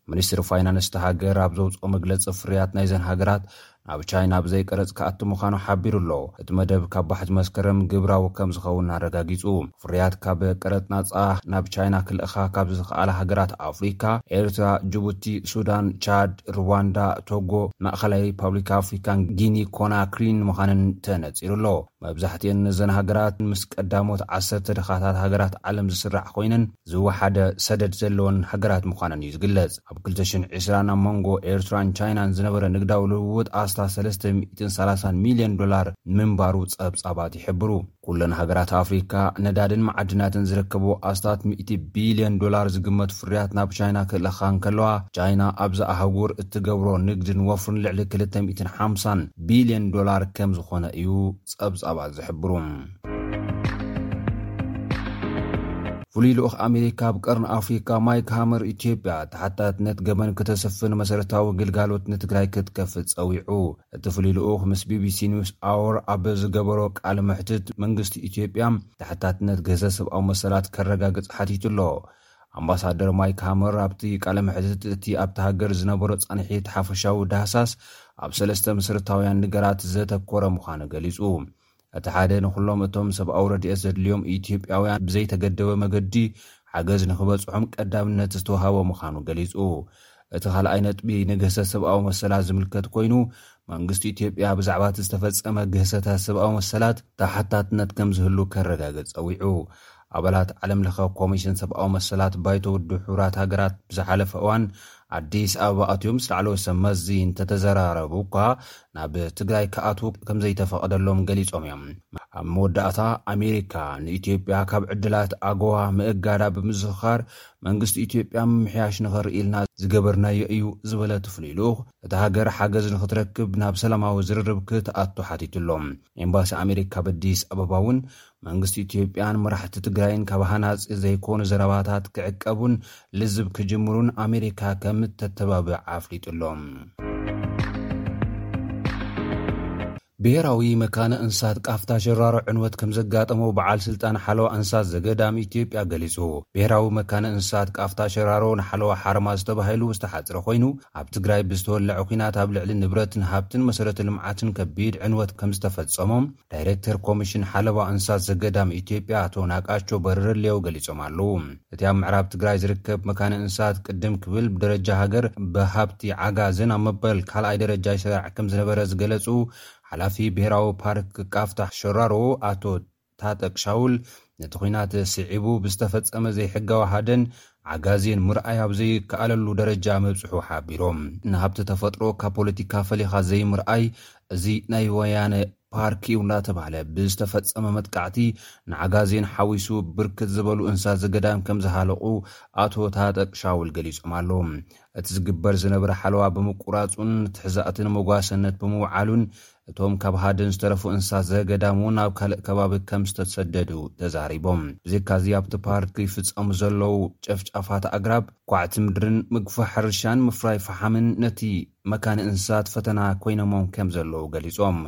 ሚኒስትሪ ፋይናንስ እታ ሃገር ኣብ ዘውፅኦ መግለፂ፣ ፍርያት ናይዘን ሃገራት ናብ ቻይና ብዘይ ቀረፅ ክኣቱ ምዃኑ ሓቢሩ ኣሎ። እቲ መደብ ካብ ባሕቲ መስከረም ግብራዊ ከም ዝኸውን ኣረጋጊፁ። ፍርያት ካብ ቀረፅ ናፃ ናብ ቻይና ክልእኻ ካብ ዝኸኣላ ሃገራት ኣፍሪካ፣ ኤርትራ፣ ጅቡቲ፣ ሱዳን፣ ቻድ፣ ሩዋንዳ፣ ቶጎ፣ ማእኸላይ ሪፓብሊክ ኣፍሪካን ጊኒ ኮናክሪን ምዃነን ተነፂሩ ኣሎ። መብዛሕትኤን እዘን ሃገራት ምስ ቀዳሞት ዓሰርተ ድኻታት ሃገራት ዓለም ዝስራዕ ኮይነን፣ ዝወሓደ ሰደድ ዘለወን ሃገራት ምዃነን እዩ ዝግለጽ። ኣብ ክልተ ሽሕን ዕስራን ኣብ መንጎ ኤርትራን ቻይናን ዝነበረ ንግዳዊ ልውውጥ ኣስታት ሰለስተ ሚእትን ሰላሳን ሚልዮን ዶላር ምንባሩ ጸብጻባት ይሕብሩ። ኩለን ሃገራት ኣፍሪካ ነዳድን መዓድናትን ዝርከብዎ ኣስታት ሚእቲ ቢልዮን ዶላር ዝግመት ፍርያት ናብ ቻይና ክእለኻ እንከለዋ፣ ቻይና ኣብዚ ኣህጉር እትገብሮ ንግድን ወፍርን ልዕሊ ክልተ ሚእትን ሓምሳን ቢልዮን ዶላር ከም ዝኾነ እዩ ጸብጻባት ዝሕብሩ። ፍሉይ ልኡኽ ኣሜሪካ ኣብ ቀርኒ ኣፍሪካ ማይክ ሃመር፣ ኢትዮጵያ ተሓታትነት ገበን ክተስፍን መሰረታዊ ግልጋሎት ንትግራይ ክትከፍት ጸዊዑ። እቲ ፍሉይ ልኡኽ ምስ ቢቢሲ ኒውስ ኣወር ኣብ ዝገበሮ ቃለ መሕትት፣ መንግስቲ ኢትዮጵያ ተሓታትነት ግህሰት ሰብኣዊ መሰላት ከረጋግጽ ሓቲቱ ኣሎ። ኣምባሳደር ማይክ ሃመር ኣብቲ ቃለ መሕትት፣ እቲ ኣብቲ ሃገር ዝነበሮ ጻንሒት ሓፈሻዊ ዳህሳስ ኣብ ሰለስተ መሰረታውያን ነገራት ዘተኮረ ምዃኑ ገሊጹ። እቲ ሓደ፣ ንኹሎም እቶም ሰብኣዊ ረድኤት ዘድልዮም ኢትዮጵያውያን ብዘይተገደበ መገዲ ሓገዝ ንኽበጽሖም ቀዳምነት ዝተዋሃቦ ምዃኑ ገሊጹ። እቲ ካልኣይ ነጥቢ ንግህሰት ሰብኣዊ መሰላት ዝምልከት ኮይኑ፣ መንግስቲ ኢትዮጵያ ብዛዕባ እቲ ዝተፈጸመ ግህሰታት ሰብኣዊ መሰላት ተሓታትነት ከም ዝህሉ ከረጋግጽ ጸዊዑ። ኣባላት ዓለም ለኸ ኮሚሽን ሰብኣዊ መሰላት ባይቶ ውድብ ሕቡራት ሃገራት ብዝሓለፈ እዋን ኣዲስ ኣበባ ኣትዮም ምስ ላዕለዎት ሰብ መዚ እንተተዘራረቡ እኳ፣ ናብ ትግራይ ክኣትዉ ከም ዘይተፈቐደሎም ገሊጾም እዮም። ኣብ መወዳእታ፣ ኣሜሪካ ንኢትዮጵያ ካብ ዕድላት ኣጎዋ ምእጋዳ ብምዝኽኻር፣ መንግስቲ ኢትዮጵያ ምምሕያሽ ንኸርኢ ኢልና ዝገበርናዮ እዩ ዝበለ እቲ ፍሉይ ልኡኽ፣ እታ ሃገር ሓገዝ ንኽትረክብ ናብ ሰላማዊ ዝርርብ ክትኣቱ ሓቲቱ ኣሎ። ኤምባሲ ኣሜሪካ ኣብ ኣዲስ ኣበባ እውን መንግስቲ ኢትዮጵያን መራሕቲ ትግራይን ካብ ሃናጺ ዘይኮኑ ዘረባታት ክዕቀቡን ልዝብ ክጅምሩን ኣሜሪካ ከም እተተባብዕ ኣፍሊጡ ኣሎ። ብሔራዊ መካነ እንስሳት ቃፍታ ሸራሮ ዕንወት ከም ዘጋጠመው በዓል ስልጣን ሓለዋ እንስሳት ዘገዳም ኢትዮጵያ ገሊጹ። ብሔራዊ መካነ እንስሳት ቃፍታ ሸራሮ ንሓለዋ ሓርማዝ ተባሂሉ ዝተሓጽረ ኮይኑ፣ ኣብ ትግራይ ብዝተወለዐ ኲናት ኣብ ልዕሊ ንብረትን ሃብትን መሰረተ ልምዓትን ከቢድ ዕንወት ከም ዝተፈጸሞም ዳይሬክተር ኮሚሽን ሓለዋ እንስሳት ዘገዳም ኢትዮጵያ ኣቶ ናቃቸው በረለሌው ገሊጾም ኣለዉ። እቲ ኣብ ምዕራብ ትግራይ ዝርከብ መካነ እንስሳት ቅድም ክብል ብደረጃ ሃገር ብሃብቲ ዓጋዘን ኣብ መበል ካልኣይ ደረጃ ይሰራዕ ከም ዝነበረ ዝገለጹ ሓላፊ ብሔራዊ ፓርክ ቃፍታ ሸራሮ ኣቶ ታጠቅ ሻውል፣ ነቲ ኲናት ስዒቡ ብዝተፈጸመ ዘይሕጋዊ ሃደን ዓጋዜን ምርኣይ ኣብ ዘይከኣለሉ ደረጃ ምብጽሑ ሓቢሮም። ንሃብቲ ተፈጥሮ ካብ ፖለቲካ ፈሊኻ ዘይምርኣይ፣ እዚ ናይ ወያነ ፓርክ እዩ እናተባህለ ብዝተፈጸመ መጥቃዕቲ ንዓጋዜን ሓዊሱ ብርክት ዝበሉ እንስሳ ዘገዳም ከም ዝሃለቑ ኣቶ ታጠቅ ሻውል ገሊጾም ኣለዉ። እቲ ዝግበር ዝነበረ ሓለዋ ብምቁራጹን ትሕዛእትን መጓሰነት ብምውዓሉን እቶም ካብ ሃደን ዝተረፉ እንስሳት ዘገዳም እውን ናብ ካልእ ከባቢ ከም ዝተሰደዱ ተዛሪቦም። ብዘይካዚ ኣብቲ ፓርክ ይፍጸሙ ዘለዉ ጨፍጫፋት ኣግራብ፣ ኳዕቲ ምድርን ምግፋሕ ሕርሻን ምፍራይ ፈሓምን ነቲ መካነ እንስሳት ፈተና ኮይኖሞም ከም ዘለዉ ገሊጾም።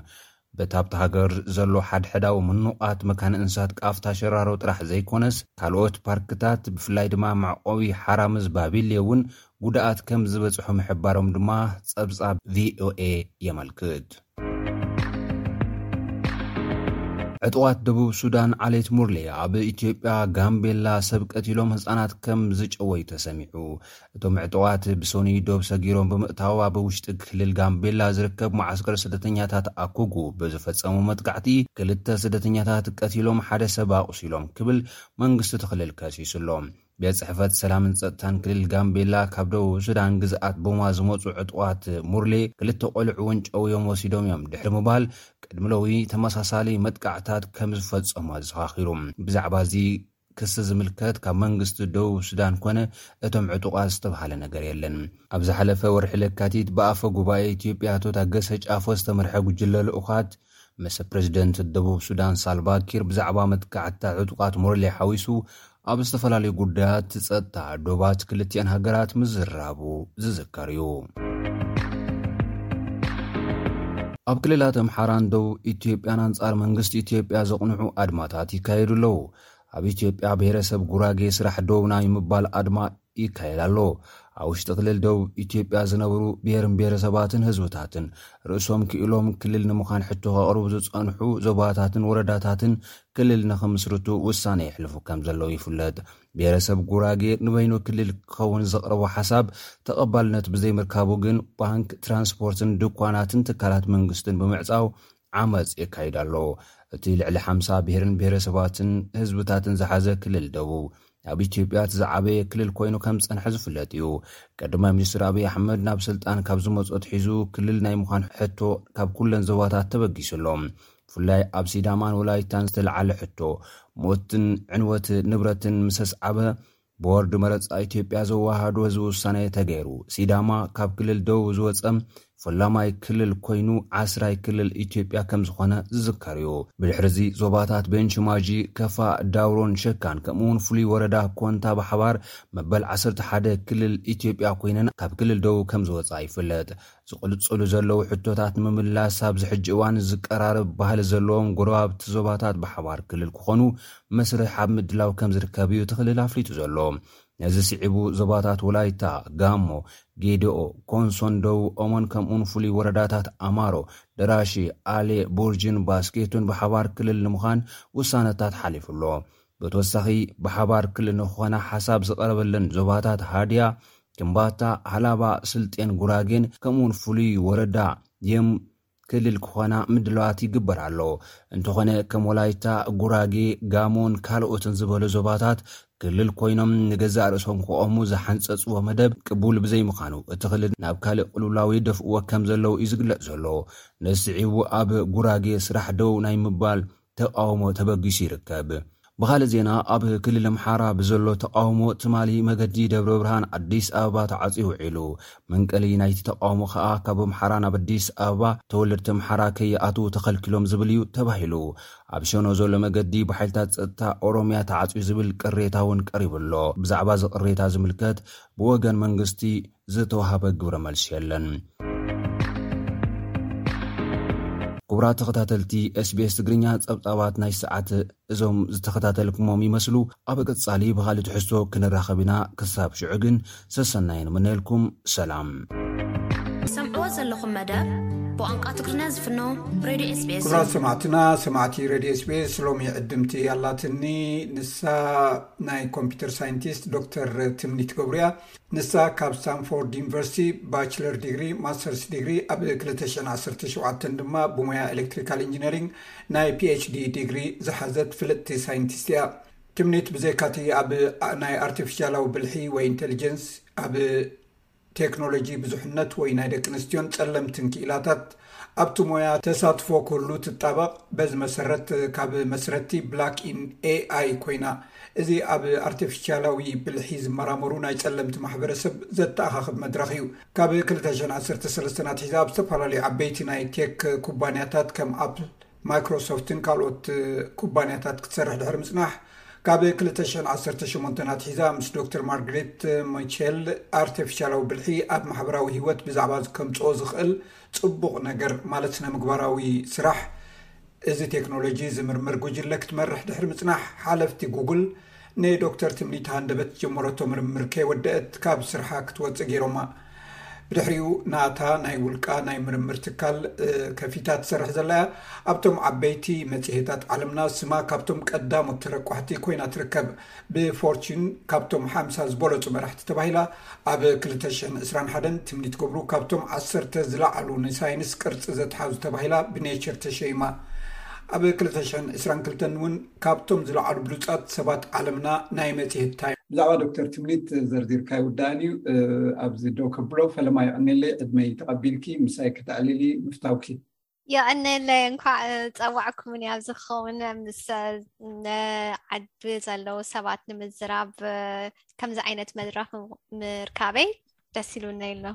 በቲ ኣብቲ ሃገር ዘሎ ሓድሕዳዊ ምኑቓት መካነ እንስሳት ቃፍታ ሸራሮ ጥራሕ ዘይኮነስ ካልኦት ፓርክታት ብፍላይ ድማ መዕቆቢ ሓራምዝ ባቢሌ እውን ጉድኣት ከም ዝበጽሑ ምሕባሮም ድማ ጸብጻብ ቪኦኤ የመልክት። ዕጡቓት ደቡብ ሱዳን ዓሌት ሙርሌ ኣብ ኢትዮጵያ ጋምቤላ ሰብ ቀቲሎም ህጻናት ከም ዝጨወዩ ተሰሚዑ። እቶም ዕጡቓት ብሶኒ ዶብ ሰጊሮም ብምእታው ኣብ ውሽጢ ክልል ጋምቤላ ዝርከብ መዓስከር ስደተኛታት ኣኩጉ ብዝፈጸሙ መጥቃዕቲ ክልተ ስደተኛታት ቀቲሎም ሓደ ሰብ ኣቑሲሎም ክብል መንግስቲ እቲ ክልል ከሲሱ ኣሎ። ቤት ጽሕፈት ሰላምን ጸጥታን ክልል ጋምቤላ ካብ ደቡብ ሱዳን ግዝኣት ቦማ ዝመጹ ዕጡቓት ሙርሌ ክልተ ቆልዑ ወንጨውዮም ወሲዶም እዮም ድሕሪ ምባል ቅድሚ ሎሚ ተመሳሳሊ መጥቃዕታት ከም ዝፈጸሙ ኣዘኻኺሩ። ብዛዕባ እዚ ክሲ ዝምልከት ካብ መንግስቲ ደቡብ ሱዳን ኮነ እቶም ዕጡቓት ዝተባህለ ነገር የለን። ኣብ ዝሓለፈ ወርሒ ለካቲት ብኣፈ ጉባኤ ኢትዮጵያ ኣቶ ታገሰ ጫፎ ዝተመርሐ ጉጅለ ልኡኻት ምስ ፕሬዝደንት ደቡብ ሱዳን ሳልቫ ኪር ብዛዕባ መጥቃዕትታት ዕጡቓት ሞርሌ ሓዊሱ ኣብ ዝተፈላለዩ ጉዳያት ጸጥታ ዶባት ክልቲኣን ሃገራት ምዝራቡ ዝዝከር እዩ። ኣብ ክልላት ኣምሓራን ደቡብ ኢትዮጵያን ኣንጻር መንግስቲ ኢትዮጵያ ዘቕንዑ ኣድማታት ይካየዱ ኣለዉ። ኣብ ኢትዮጵያ ብሄረሰብ ጉራጌ ስራሕ ደው ናይ ምባል ኣድማ ይካየድ ኣሎ። ኣብ ውሽጢ ክልል ደቡብ ኢትዮጵያ ዝነብሩ ብሄርን ብሄረሰባትን ህዝብታትን ርእሶም ክኢሎም ክልል ንምዃን ሕቶ ከቕርቡ ዝጸንሑ ዞባታትን ወረዳታትን ክልል ንኽምስርቱ ውሳነ የሕልፉ ከም ዘለዉ ይፍለጥ። ብሄረሰብ ጉራጌ ንበይኑ ክልል ክኸውን ዘቕረቦ ሓሳብ ተቐባልነት ብዘይምርካቡ ግን ባንክ፣ ትራንስፖርትን ድኳናትን ትካላት መንግስትን ብምዕጻው ዓመጽ የካይድ ኣሎ። እቲ ልዕሊ ሓምሳ ብሄርን ብሄረሰባትን ህዝብታትን ዝሓዘ ክልል ደቡብ ኣብ ኢትዮጵያ እቲ ዝዓበየ ክልል ኮይኑ ከም ዝጸንሐ ዝፍለጥ እዩ። ቀዳማይ ሚኒስትር ኣብይ ኣሕመድ ናብ ስልጣን ካብ ዝመጹ ኣትሒዙ ክልል ናይ ምዃን ሕቶ ካብ ኩለን ዞባታት ተበጊሱ ኣሎ። ብፍላይ ኣብ ሲዳማን ወላይታን ዝተለዓለ ሕቶ ሞትን ዕንወት ንብረትን ምስ ኣስዓበ ብቦርድ መረጻ ኢትዮጵያ ዘወሃዶ ህዝቢ ውሳኔ ተገይሩ። ሲዳማ ካብ ክልል ደቡብ ዝወጸ ፈላማይ ክልል ኮይኑ ዓስራይ ክልል ኢትዮጵያ ከም ዝኾነ ዝዝከር እዩ። ብድሕሪ እዚ ዞባታት ቤንች ማጂ፣ ከፋ፣ ዳውሮን ሸካን ከምኡ እውን ፍሉይ ወረዳ ኮንታ ብሓባር መበል ዓሰርተ ሓደ ክልል ኢትዮጵያ ኮይነን ካብ ክልል ደቡብ ከም ዝወጻ ይፍለጥ። ዝቕልጽሉ ዘለዉ ሕቶታት ንምምላስ ኣብዚ ሕጂ እዋን ዝቀራረብ ባህሊ ዘለዎም ጎረባብቲ ዞባታት ብሓባር ክልል ክኾኑ መስርሕ ኣብ ምድላው ከም ዝርከብ እዩ እቲ ክልል ኣፍሊጡ ዘሎ። ነዚ ስዒቡ ዞባታት ወላይታ፣ ጋሞ፣ ጌዴኦ፣ ኮንሶን ደቡብ ኦሞን ከምኡውን ፍሉይ ወረዳታት ኣማሮ፣ ደራሺ፣ ኣሌ፣ ቡርጅን ባስኬቶን ብሓባር ክልል ንምዃን ውሳነታት ሓሊፉ ኣሎ። ብተወሳኺ ብሓባር ክልል ንክኾና ሓሳብ ዝቐረበለን ዞባታት ሃድያ፣ ከምባታ፣ ሃላባ፣ ስልጤን ጉራጌን ከምኡውን ፍሉይ ወረዳ የም ክልል ክኾና ምድላዋት ይግበር ኣሎ። እንተኾነ ከም ወላይታ፣ ጉራጌ፣ ጋሞን ካልኦትን ዝበሉ ዞባታት ክልል ኮይኖም ንገዛእ ርእሶም ክቖሙ ዝሓንጸጽዎ መደብ ቅቡል ብዘይምዃኑ እቲ ክልል ናብ ካልእ ቅልውላው ይደፍእዎ ከም ዘለዉ እዩ ዝግለጽ ዘሎ። ነዚ ስዒቡ ኣብ ጉራጌ ስራሕ ደው ናይ ምባል ተቃውሞ ተበጊሱ ይርከብ። ብኻልእ ዜና ኣብ ክልል ኣምሓራ ብዘሎ ተቃውሞ ትማሊ መገዲ ደብረ ብርሃን ኣዲስ ኣበባ ተዓጽዩ ውዒሉ። መንቀሊ ናይቲ ተቃውሞ ከኣ ካብ ኣምሓራ ናብ ኣዲስ ኣበባ ተወለድቲ ኣምሓራ ከይኣትዉ ተኸልኪሎም ዝብል እዩ ተባሂሉ። ኣብ ሸኖ ዘሎ መገዲ ብሓይልታት ጸጥታ ኦሮምያ ተዓጽዩ ዝብል ቅሬታ እውን ቀሪቡ ኣሎ። ብዛዕባ እዚ ቅሬታ ዝምልከት ብወገን መንግስቲ ዝተዋህበ ግብረ መልሲ የለን። ክቡራት ተኸታተልቲ SBS ትግርኛ፣ ጸብጻባት ናይ ሰዓት እዞም ዝተኸታተልኩሞም ይመስሉ። ኣብ ቀጻሊ ብኻልእ ትሕዝቶ ክንራኸብ ኢና። ክሳብ ሽዑ ግን ሰሰናይ ንምነየልኩም። ሰላም። ሰምዕዎ ዘለኹም መደብ ብቋንቋ ትግርኛ ዝፍኖ ሬድዮ SBS ክቡራት ሰማዕትና፣ ሰማዕቲ ሬድዮ SBS፣ ሎሚ ዕድምቲ ኣላትኒ። ንሳ ናይ ኮምፒውተር ሳይንቲስት ዶክተር ትምኒት ገብሩ እያ። ንሳ ካብ ስታንፎርድ ዩኒቨርሲቲ ባችለር ዲግሪ፣ ማስተርስ ዲግሪ ኣብ ክልተ ሽሕን ዓሰርተ ሸውዓተን ድማ ብሞያ ኤሌክትሪካል ኢንጂነሪንግ ናይ ፒኤችዲ ዲግሪ ዝሓዘት ፍልጥቲ ሳይንቲስት እያ። ትምኒት ብዘይካቲ ኣብ ናይ ኣርቲፊሻላዊ ብልሒ ወይ ኢንቴሊጀንስ፣ ኣብ ቴክኖሎጂ ብዙሕነት ወይ ናይ ደቂ ኣንስትዮን ጸለምትን ክኢላታት ኣብቲ ሞያ ተሳትፎ ክህሉ ትጣበቕ። በዚ መሰረት ካብ መስረቲ ብላክ ኢን ኤኣይ ኮይና። እዚ ኣብ ኣርቲፊሻላዊ ብልሒ ዝመራመሩ ናይ ጸለምቲ ማሕበረሰብ ዘተኣኻኽብ መድረኽ እዩ። ካብ ክልተ ሽሕን ዓሰርተ ሰለስተን ኣትሒዛ ኣብ ዝተፈላለዩ ዓበይቲ ናይ ቴክ ኩባንያታት ከም ኣፕል፣ ማይክሮሶፍትን ካልኦት ኩባንያታት ክትሰርሕ ድሕሪ ምጽናሕ፣ ካብ ክልተ ሽሕን ዓሰርተ ሸሞንተን ኣትሒዛ ምስ ዶክተር ማርግሬት ሚቸል ኣርቲፊሻላዊ ብልሒ ኣብ ማሕበራዊ ህይወት ብዛዕባ ከምጽኦ ዝኽእል ጽቡቕ ነገር፣ ማለት ስነ ምግባራዊ ስራሕ፣ እዚ ቴክኖሎጂ ዝምርምር ጉጅለ ክትመርሕ ድሕሪ ምጽናሕ፣ ሓለፍቲ ጉግል ንዶክተር ትምኒት ሃንደበት ጀመረቶ ምርምር ከይወደአት ካብ ስርሓ ክትወጽእ ገይሮማ። ብድሕሪኡ ናታ ናይ ውልቃ ናይ ምርምር ትካል፣ እ፣ ከፊታ ትሰርሕ ዘላ እያ። ኣብቶም ዓበይቲ መጽሔታት ዓለምና ስማ ካብቶም ቀዳሞት ተረቋሕቲ ኮይና ትርከብ። ብፎርቹን ካብቶም ሓምሳ ዝበለጹ መራሕቲ ተባሂላ ኣብ ክልተ ሽሕን ዕስራን ሓደን፣ ትምኒት ገብሩ ካብቶም ዓሰርተ ዝለዓሉ ንሳይንስ ቅርጺ ዘትሓዙ ተባሂላ ብኔቸር ተሸይማ። ኣብ ክልተ ሽሕን ዕስራን ክልተን እውን ካብቶም ዝለዓሉ ብሉጻት ሰባት ዓለምና ናይ መጽሔት ታይም። ብዛዕባ ዶክተር ትምኒት ዘርዚርካ ይውዳእን እዩ። እ፣ ኣብዚ ደው ከብሎ፣ ፈለማ የቐኔለይ ዕድመይ ተቐቢልኪ ምሳይ ከተዕልሊ ምፍታውኪ። የቐነለይ፣ እንኳዕ ጸዋዕኩምኒ። ኣብዚ ክኸውን ምስ፣ እ፣ ዓዲ ዘለዉ ሰባት ንምዝራብ፣ እ፣ ከምዚ ዓይነት መድረኽ ምርካበይ ደስ ኢሉኒ ኣሎ።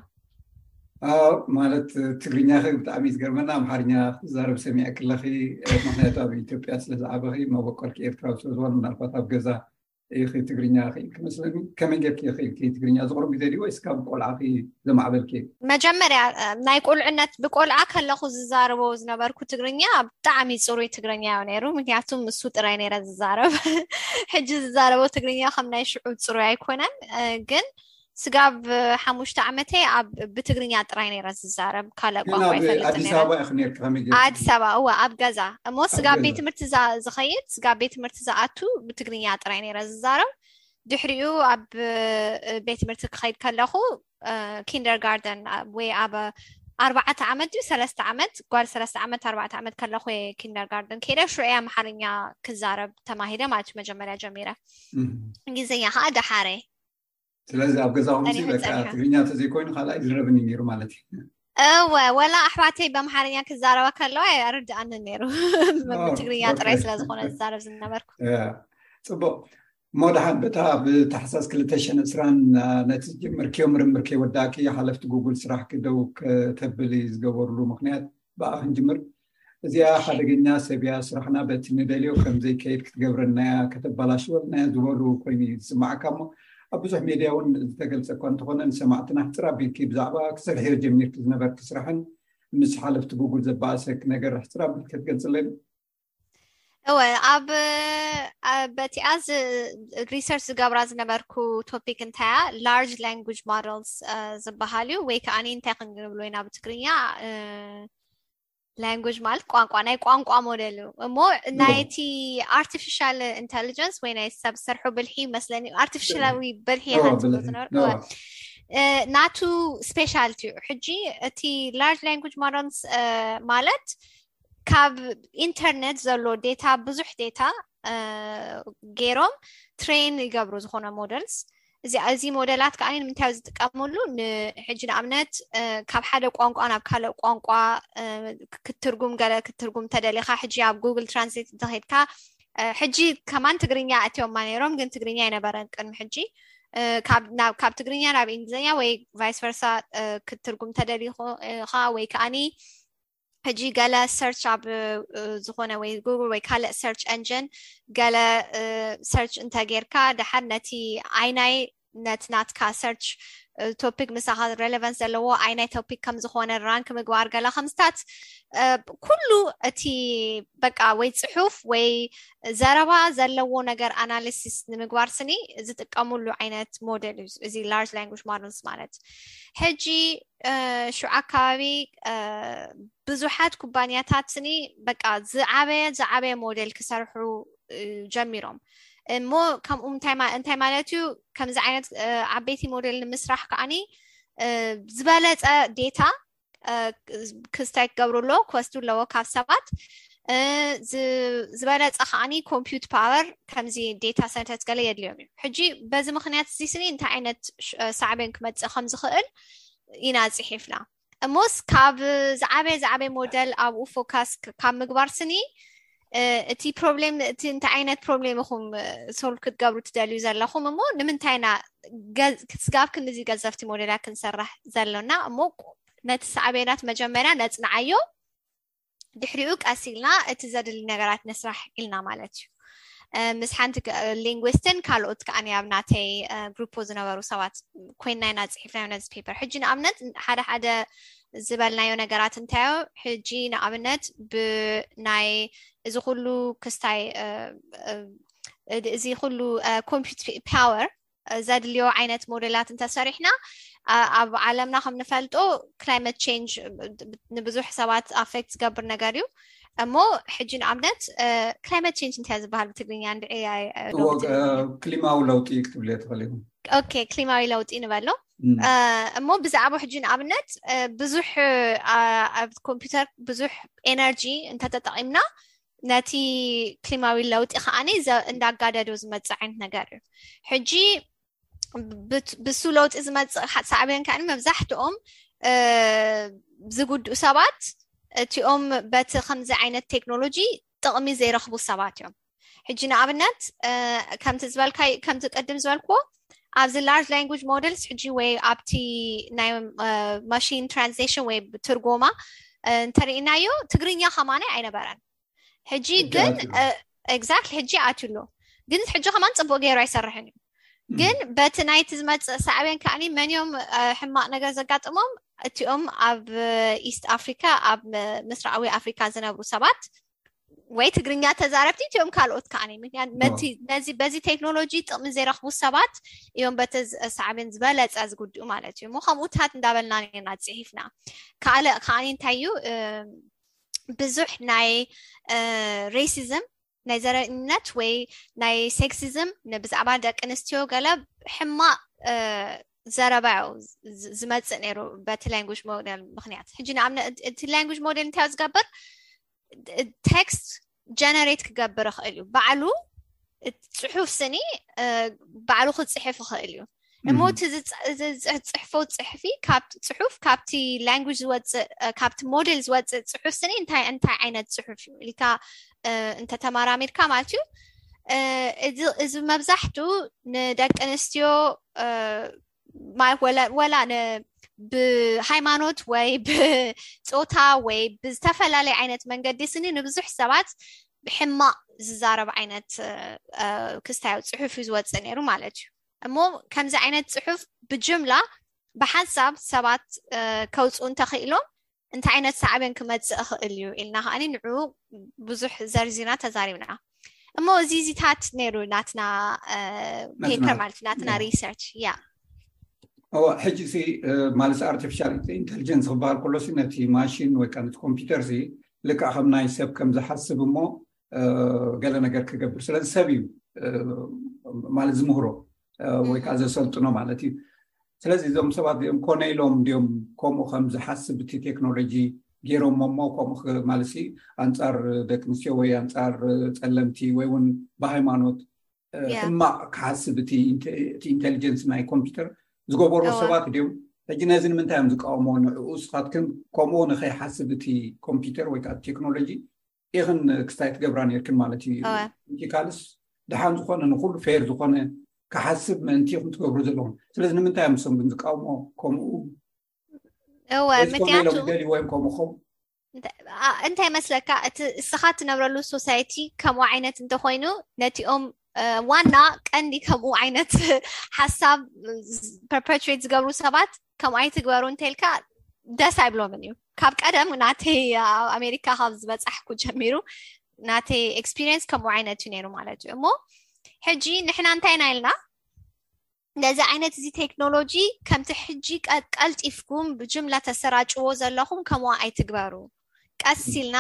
ኣዎ፣ ማለት ትግርኛኺ ብጣዕሚ እዩ ዝገርመና። ኣምሓርኛ ክትዛረብ ሰሚዐ ክለኺ፣ ምኽንያቱ ኣብ ኢትዮጵያ ስለ ዝዓበኺ፣ መበቆልኪ ኤርትራዊ ስለ ዝኾነ፣ ምናልባት ኣብ ገዛ ኢኺ ትግርኛ ክኢልኪ መስለኒ። ከመይ ጌርኪ ክኢልኪ ትግርኛ? ዝቕሩብ ግዜ ድዩ ወይስ ካብ ቆልዓኺ ዘማዕበልኪ? መጀመርያ፣ እ፣ ናይ ቁልዕነት፣ ብቆልዓ ከለኹ ዝዛረቦ ዝነበርኩ ትግርኛ ብጣዕሚ ጽሩይ ትግርኛ እዩ ነይሩ፣ ምክንያቱ እሱ ጥራይ ነይረ ዝዛረብ። ሕጂ ዝዛረቦ ትግርኛ ከም ናይ ሽዑ ጽሩይ ኣይኮነን፣ እ፣ ግን ስጋብ ሓሙሽተ ዓመተይ ኣብ፣ ብትግርኛ ጥራይ ነይረ ዝዛረብ፣ ካልእ ግን ቋንቋ ኣብ ኣይፈልጥን ኣዲስ ነይረ። ኣበባ ኢኺ ነይርኪ ከመይ ጌርኪ? ኣዲስ ኣበባ፣ እወ፣ ኣብ ገዛ። እሞ ኣብ ስጋብ ገዛ። ቤት ትምህርቲ ዛ-፣ ዝኸይድ፣ ስጋብ ቤት ትምህርቲ ዝኣቱ ብትግርኛ ጥራይ ነይረ ዝዛረብ። ድሕሪኡ ኣብ፣ እ፣ ቤት ትምህርቲ ክኸይድ ከለኹ፣ እ፣ ኪንደርጋርደን፣ ኣ-፣ ወይ ኣብ ኣርባዕተ ዓመት ድዩ ሰለስተ ዓመት፣ ጓል ሰለስተ ዓመት፣ ኣርባዕተ ዓመት ከለኹ እየ ኪንደርጋርደን ከይደ። ሽዑ እየ ኣምሓርኛ ክዛረብ ተማሂረ ማለት እዩ፣ መጀመርያ ጀሚረ። እም። እንግሊዝኛ ከዓ ደሓረ። ስለዚ ኣብ ገዛኹም ሲ ጸኒሑ በቃ ጸኒሑ። ትግርኛ እንተዘይኮይኑ ካልእ ኣይዝረብን እዩ ነይሩ ማለት እዩ። እወ፣ ወላ ኣሕዋተይ በኣምሓርኛ ክዛረባ ከለዋ ኣይርድኣንን ነይሩ። ኦ፣ ብትግርኛ ጥራይ ኦኬ። ስለ ዝኾነ ዝዛረብ ዝነበርኩ። ያ፣ ጽቡቕ። እሞ ደሓን በታ ኣብ ታሕሳስ ክልተ ሽሕን ዕስራን፣ አ፣ ነቲ ዝጀመርክዮ ምርምር ከይወዳእኪ ሓለፍቲ ጉግል ስራሕኪ ደው ከተብሊ ዝገበሩሉ ምኽንያት ብኣ ክንጅምር። እዚኣ ሓደገኛ ሰብ እያ፣ ስራሕና በቲ ንደልዮ ከም ዘይከይድ ክትገብረና እያ፣ ከተበላሽወልና እያ ዝበሉ ኮይኑ እዩ ዝስማዓካ። እሞ ኣብ ብዙሕ ሜድያ እውን ዝተገልጸ እኳ እንተኾነ፣ ንሰማዕትና ሕጽር ኣቢልኪ ብዛዕባ ክሰርሕዮ ጀሚርኪ ዝነበርኪ ስራሕን ምስ ሓለፍቲ ጉግል ዘባእሰኪ ነገር ሕጽር ኣቢልኪ ክትገልጽለይ? እወ፣ ኣብ፣ ኣብ በቲኣ ዝ-፣ ሪሰርች ዝገብራ ዝነበርኩ ቶፒክ እንታይ እያ? ላርጅ ላንጉጅ ሞደልስ፣ እ፣ ዝበሃል እዩ፣ ወይ ከኣ እንታይ ክንብሎ ኢና ብትግርኛ? እ፣ ላንጉጅ ማለት ቋንቋ፣ ናይ ቋንቋ ሞዴል እዩ። እሞ እዎ። ናይቲ ኣርቲፊሻል ኢንተሊጀንስ ወይ ናይ ሰብ ሰርሑ ብልሒ ይመስለኒ፣ ኣርቲፊሻላዊ ብልሒ እዎ፣ ኢኻ ትብሎ ብልሒ፣ ዝነበርኩ። እዎ። እ፣ ናቱ ስፔሻልቲ እዩ። ሕጂ እቲ ላርጅ ላንጉጅ ሞደልስ፣ እ፣ ማለት ካብ ኢንተርኔት ዘሎ ዴታ፣ ብዙሕ ዴታ፣ እ፣ ገይሮም ትሬን ይገብሩ ዝኾነ ሞዴልስ። እዚ፣ እዚ ሞዴላት ከኣ ንምንታይ እዩ ዝጥቀምሉ? ን-፣ ሕጂ ንኣብነት፣ እ፣ ካብ ሓደ ቋንቋ ናብ ካልእ ቋንቋ፣ እ፣ ክ-፣ ክትትርጉም፣ ገለ ክትትርጉም ተደሊኻ፣ ሕጂ ኣብ ጉግል ትራንስሌት እንተኸይድካ፣ እ፣ ሕጂ ከማን ትግርኛ ኣእትዮማ ነይሮም፣ ግን ትግርኛ ኣይነበረን ቅድሚ ሕጂ። እ፣ ካብ፣ ናብ፣ ካብ ትግርኛ ናብ እንግሊዝኛ ወይ ቫይስ ቨርሳ፣ እ፣ ክትትርጉም ተደሊኻ ወይ ከኣኒ ሕጂ ገለ ሰርች ኣብ፣ እ፣ ዝኾነ ወይ ጉግል ወይ ካልእ ሰርች ኤንጂን ገለ፣ እ፣ ሰርች እንተ ጌርካ፣ ደሓር ነቲ ዓይናይ ነቲ ናትካ search topic ምሳኻ relevance ዘለዎ ኣይናይ topic ከም ዝኾነ rank ምግባር ገላ ከምስታት ኩሉ እቲ በቃ ወይ ፅሑፍ ወይ ዘረባ ዘለዎ ነገር analysis ንምግባር ስኒ ዝጥቀሙሉ ዓይነት ሞዴል እዩ እዚ large language models ማለት። ሕጂ ሽዑ ኣካባቢ ብዙሓት ኩባንያታት ስኒ በቃ ዝዓበየ ዝዓበየ ሞዴል ክሰርሑ ጀሚሮም። እሞ ከምኡ እንታይ ማለት እዩ? ከምዚ ዓይነት ዓበይቲ ሞዴል ንምስራሕ ከዓኒ ዝበለፀ data ክስታይ ክገብሩ ኣለዎ፣ ክወስዱ ኣለዎ ካብ ሰባት። ዝበለፀ ከዓኒ compute power ከምዚ data centers ገለ የድልዮም እዩ። ሕጂ በዚ ምክንያት እዚ ስኒ እንታይ ዓይነት ሳዕቤን ክመፅእ ከም ዝኽእል ኢና ፅሒፍና። እሞስ ካብ ዝዓበየ ዝዓበየ ሞዴል ኣብኡ focus ካብ ምግባር ስኒ እቲ problem እቲ እንታይ ዓይነት problem ኢኹም solve ክትገብሩ ትደልዩ ዘለኹም? እሞ ንምንታይ ኢና ስጋብ ክንዚ ገዘፍቲ ሞዴላት ክንሰርሕ ዘሎና? እሞ ነቲ ሳዕቤናት መጀመርያ ነፅንዓዮ፣ ድሕሪኡ ቀስ ኢልና እቲ ዘድሊ ነገራት ንስራሕ ኢልና ማለት እዩ። ምስ ሓንቲ linguist ን ካልኦት ከዓ ኣብ ናተይ group ዝነበሩ ሰባት ኮይና ኢና ፅሒፍናዮ ነዚ paper። ሕጂ ንኣብነት ሓደ ሓደ ዝበልናዮ ነገራት እንታዮ? ሕጂ ንኣብነት ብናይ እዚ ኩሉ ክስታይ እዚ ኩሉ compute power ዘድልዮ ዓይነት ሞዴላት እንተሰሪሕና ኣብ ዓለምና ከም ንፈልጦ climate change ንብዙሕ ሰባት affect ዝገብር ነገር እዩ። እሞ ሕጂ ንኣብነት climate change እንታይ ዝበሃል ብትግርኛ? እንድዒ ክሊማዊ ለውጢ ክትብልዮ ትኽእል ኢኹም። ኦኬ፣ ክሊማዊ ለውጢ ንበሎ። እሞ ብዛዕባ ሕጂ ንኣብነት ብዙሕ ኣብ ኮምፒውተር ብዙሕ energy እንተተጠቒምና ነቲ ክሊማዊ ለውጢ ከዓኒ እንዳጋደዶ ዝመፅእ ዓይነት ነገር እዩ። ሕጂ ብሱ ለውጢ ዝመፅእ ሳዕቤን ከዓኒ መብዛሕትኦም ዝጉድኡ ሰባት እቲኦም በቲ ከምዚ ዓይነት ቴክኖሎጂ ጥቕሚ ዘይረኽቡ ሰባት እዮም። ሕጂ ንኣብነት ከምቲ ዝበልካይ ከምቲ ቅድም ዝበልክዎ ኣብዚ large language models ሕጂ ወይ ኣብቲ ናይ machine translation ወይ ትርጎማ እንተርኢናዮ ትግርኛ ከማናይ ኣይነበረን። ሕጂ ግን exactly ሕጂ ኣትዩ ኣሎ፣ ግን ሕጂ ከማን ፅቡቅ ገይሩ ኣይሰርሕን እዩ። ግን በቲ ናይቲ ዝመፅእ ሳዕቤን ከዓኒ መን እዮም ሕማቅ ነገር ዘጋጥሞም? እቲኦም ኣብ ኢስት ኣፍሪካ ኣብ ምስራቃዊ ኣፍሪካ ዝነብሩ ሰባት ወይ ትግርኛ ተዛረብቲ እቲኦም ካልኦት ከዓኒ ምክንያት ነዚ በዚ ቴክኖሎጂ ጥቅሚ ዘይረኽቡ ሰባት እዮም በቲ ሳዕቤን ዝበለፀ ዝጉድኡ ማለት እዩ። እሞ ከምኡታት እንዳበልና ኔርና ፅሒፍና። ካልእ ከዓኒ እንታይ እዩ ብዙሕ ናይ racism ናይ ዘረኝነት ወይ ናይ sexism ብዛዕባ ደቂ ኣንስትዮ ገለ ሕማቅ ዘረባ እዩ ዝመፅእ ነይሩ በቲ language model ምክንያት። ሕጂ ንኣብነት እቲ language model እንታይ ዝገብር text generate ክገብር ይኽእል እዩ ባዕሉ። ፅሑፍ ስኒ ባዕሉ ክፅሕፍ ይኽእል እዩ። እሞ እቲ ዝፅሕፎ ፅሕፊ ጽሑፍ ካብቲ language ዝወፅእ ካብቲ ሞዴል ዝወፅእ ፅሑፍ ስኒ እንታይ እንታይ ዓይነት ፅሑፍ እዩ ኢልካ እንተተመራሚርካ ማለት እዩ። እዚ መብዛሕቱ ንደቂ ኣንስትዮ ወላ ብሃይማኖት ወይ ብፆታ ወይ ብዝተፈላለየ ዓይነት መንገዲ ስኒ ንብዙሕ ሰባት ብሕማቕ ዝዛረብ ዓይነት ክስታያዊ ፅሑፍ እዩ ዝወፅእ ነይሩ ማለት እዩ። እሞ ከምዚ ዓይነት ፅሑፍ ብጅምላ ብሓንሳብ ሰባት ከውፅኡ እንተኽኢሎም እንታይ ዓይነት ሳዕቤን ክመፅእ ይኽእል እዩ ኢልና ከዓኒ ንዑ ብዙሕ ዘርዚና ተዛሪብና። እሞ እዚ ዚታት ነይሩ ናትና paper ማለት ናትና research። ያ እወ፣ ሕጂ ሲ ማለት artificial intelligence ክበሃል ከሎ ሲ ነቲ ማሽን ወይ ከዓ ነቲ ኮምፒውተር ሲ ልክዕ ከም ናይ ሰብ ከም ዝሓስብ እሞ ገለ ነገር ክገብር ስለዚ ሰብ እዩ ማለት ዝምህሮ ወይ ከዓ ዘሰልጥኖ ማለት እዩ። ስለዚ እዞም ሰባት እዚኦም ኮነ ኢሎም እንዲኦም ከምኡ ከም ዝሓስብ እቲ ቴክኖሎጂ ገይሮሞ እሞ ከምኡ ማለት ሲ ኣንፃር ደቂ ኣንስትዮ ወይ ኣንፃር ፀለምቲ ወይ እውን ብሃይማኖት ሕማቅ ክሓስብ እቲ ኢንቴሊጀንስ ናይ ኮምፒውተር ዝገበርዎ ሰባት ድዮም? ሕጂ ነዚ ንምንታይ እዮም ዝቃወሞ? ንዕኡ ስኻትክን ከምኡ ንኸይሓስብ እቲ ኮምፒውተር ወይ ከዓ ቴክኖሎጂ ኢኽን ክስታይ ትገብራ ነርክን ማለት እዩ። ካልስ ድሓን ዝኾነ ንኩሉ ፌር ዝኾነ ክሓስብ ምእንቲ ኢኹም ትገብሩ ዘለኹም። ስለዚ ንምንታይ እዮም ንሶም ግን ዝቃወሞ? ከምኡ እወ ምክንያቱ ደልይዎም ከምኡ ኸው እንታይ መስለካ? እቲ እስኻ ትነብረሉ ሶሳይቲ ከምኡ ዓይነት እንተኮይኑ ነቲኦም ዋና ቀንዲ ከምኡ ዓይነት ሓሳብ perpetuate ዝገብሩ ሰባት ከምኡ ኣይትግበሩ እንተልካ ደስ ኣይብሎምን እዩ። ካብ ቀደም ናተይ ኣብ ኣሜሪካ ካብ ዝበፃሕኩ ጀሚሩ ናተይ experience ከምኡ ዓይነት እዩ ነይሩ ማለት እዩ። እሞ ሕጂ ንሕና እንታይ ኢና ኢልና ነዚ ዓይነት እዚ ቴክኖሎጂ ከምቲ ሕጂ ቀልጢፍኩም ብጅምላ ተሰራጭዎ ዘለኹም ከምኡ ኣይትግበሩ። ቀስ ኢልና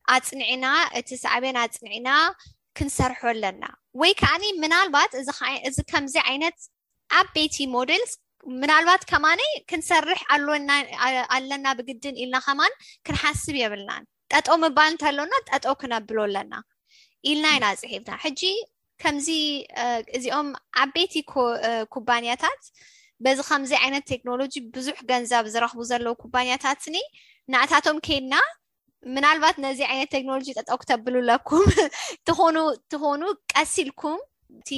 ኣፅንዕና እቲ ሳዕቤን ኣፅንዕና ክንሰርሖ ኣለና። ወይ ከዓኒ ምናልባት እዚ ከምዚ ዓይነት ዓበይቲ ሞዴልስ ምናልባት ከማነይ ክንሰርሕ ኣለና ብግድን ኢልና ከማን ክንሓስብ የብልናን። ጠጠው ምባል እንተሎና ጠጠው ክነብሎ ኣለና ኢልና ኢና ፅሒፍና። ሕጂ ከምዚ እዚኦም ዓበይቲ ኩባንያታት በዚ ከምዚ ዓይነት ቴክኖሎጂ ብዙሕ ገንዘብ ዝረኽቡ ዘለዉ ኩባንያታትኒ ንኣታቶም ከይድና ምናልባት ነዚ ዓይነት ቴክኖሎጂ ጠጠው ክተብሉ ኣለኩም ትኾኑ ትኾኑ ቀስ ኢልኩም እቲ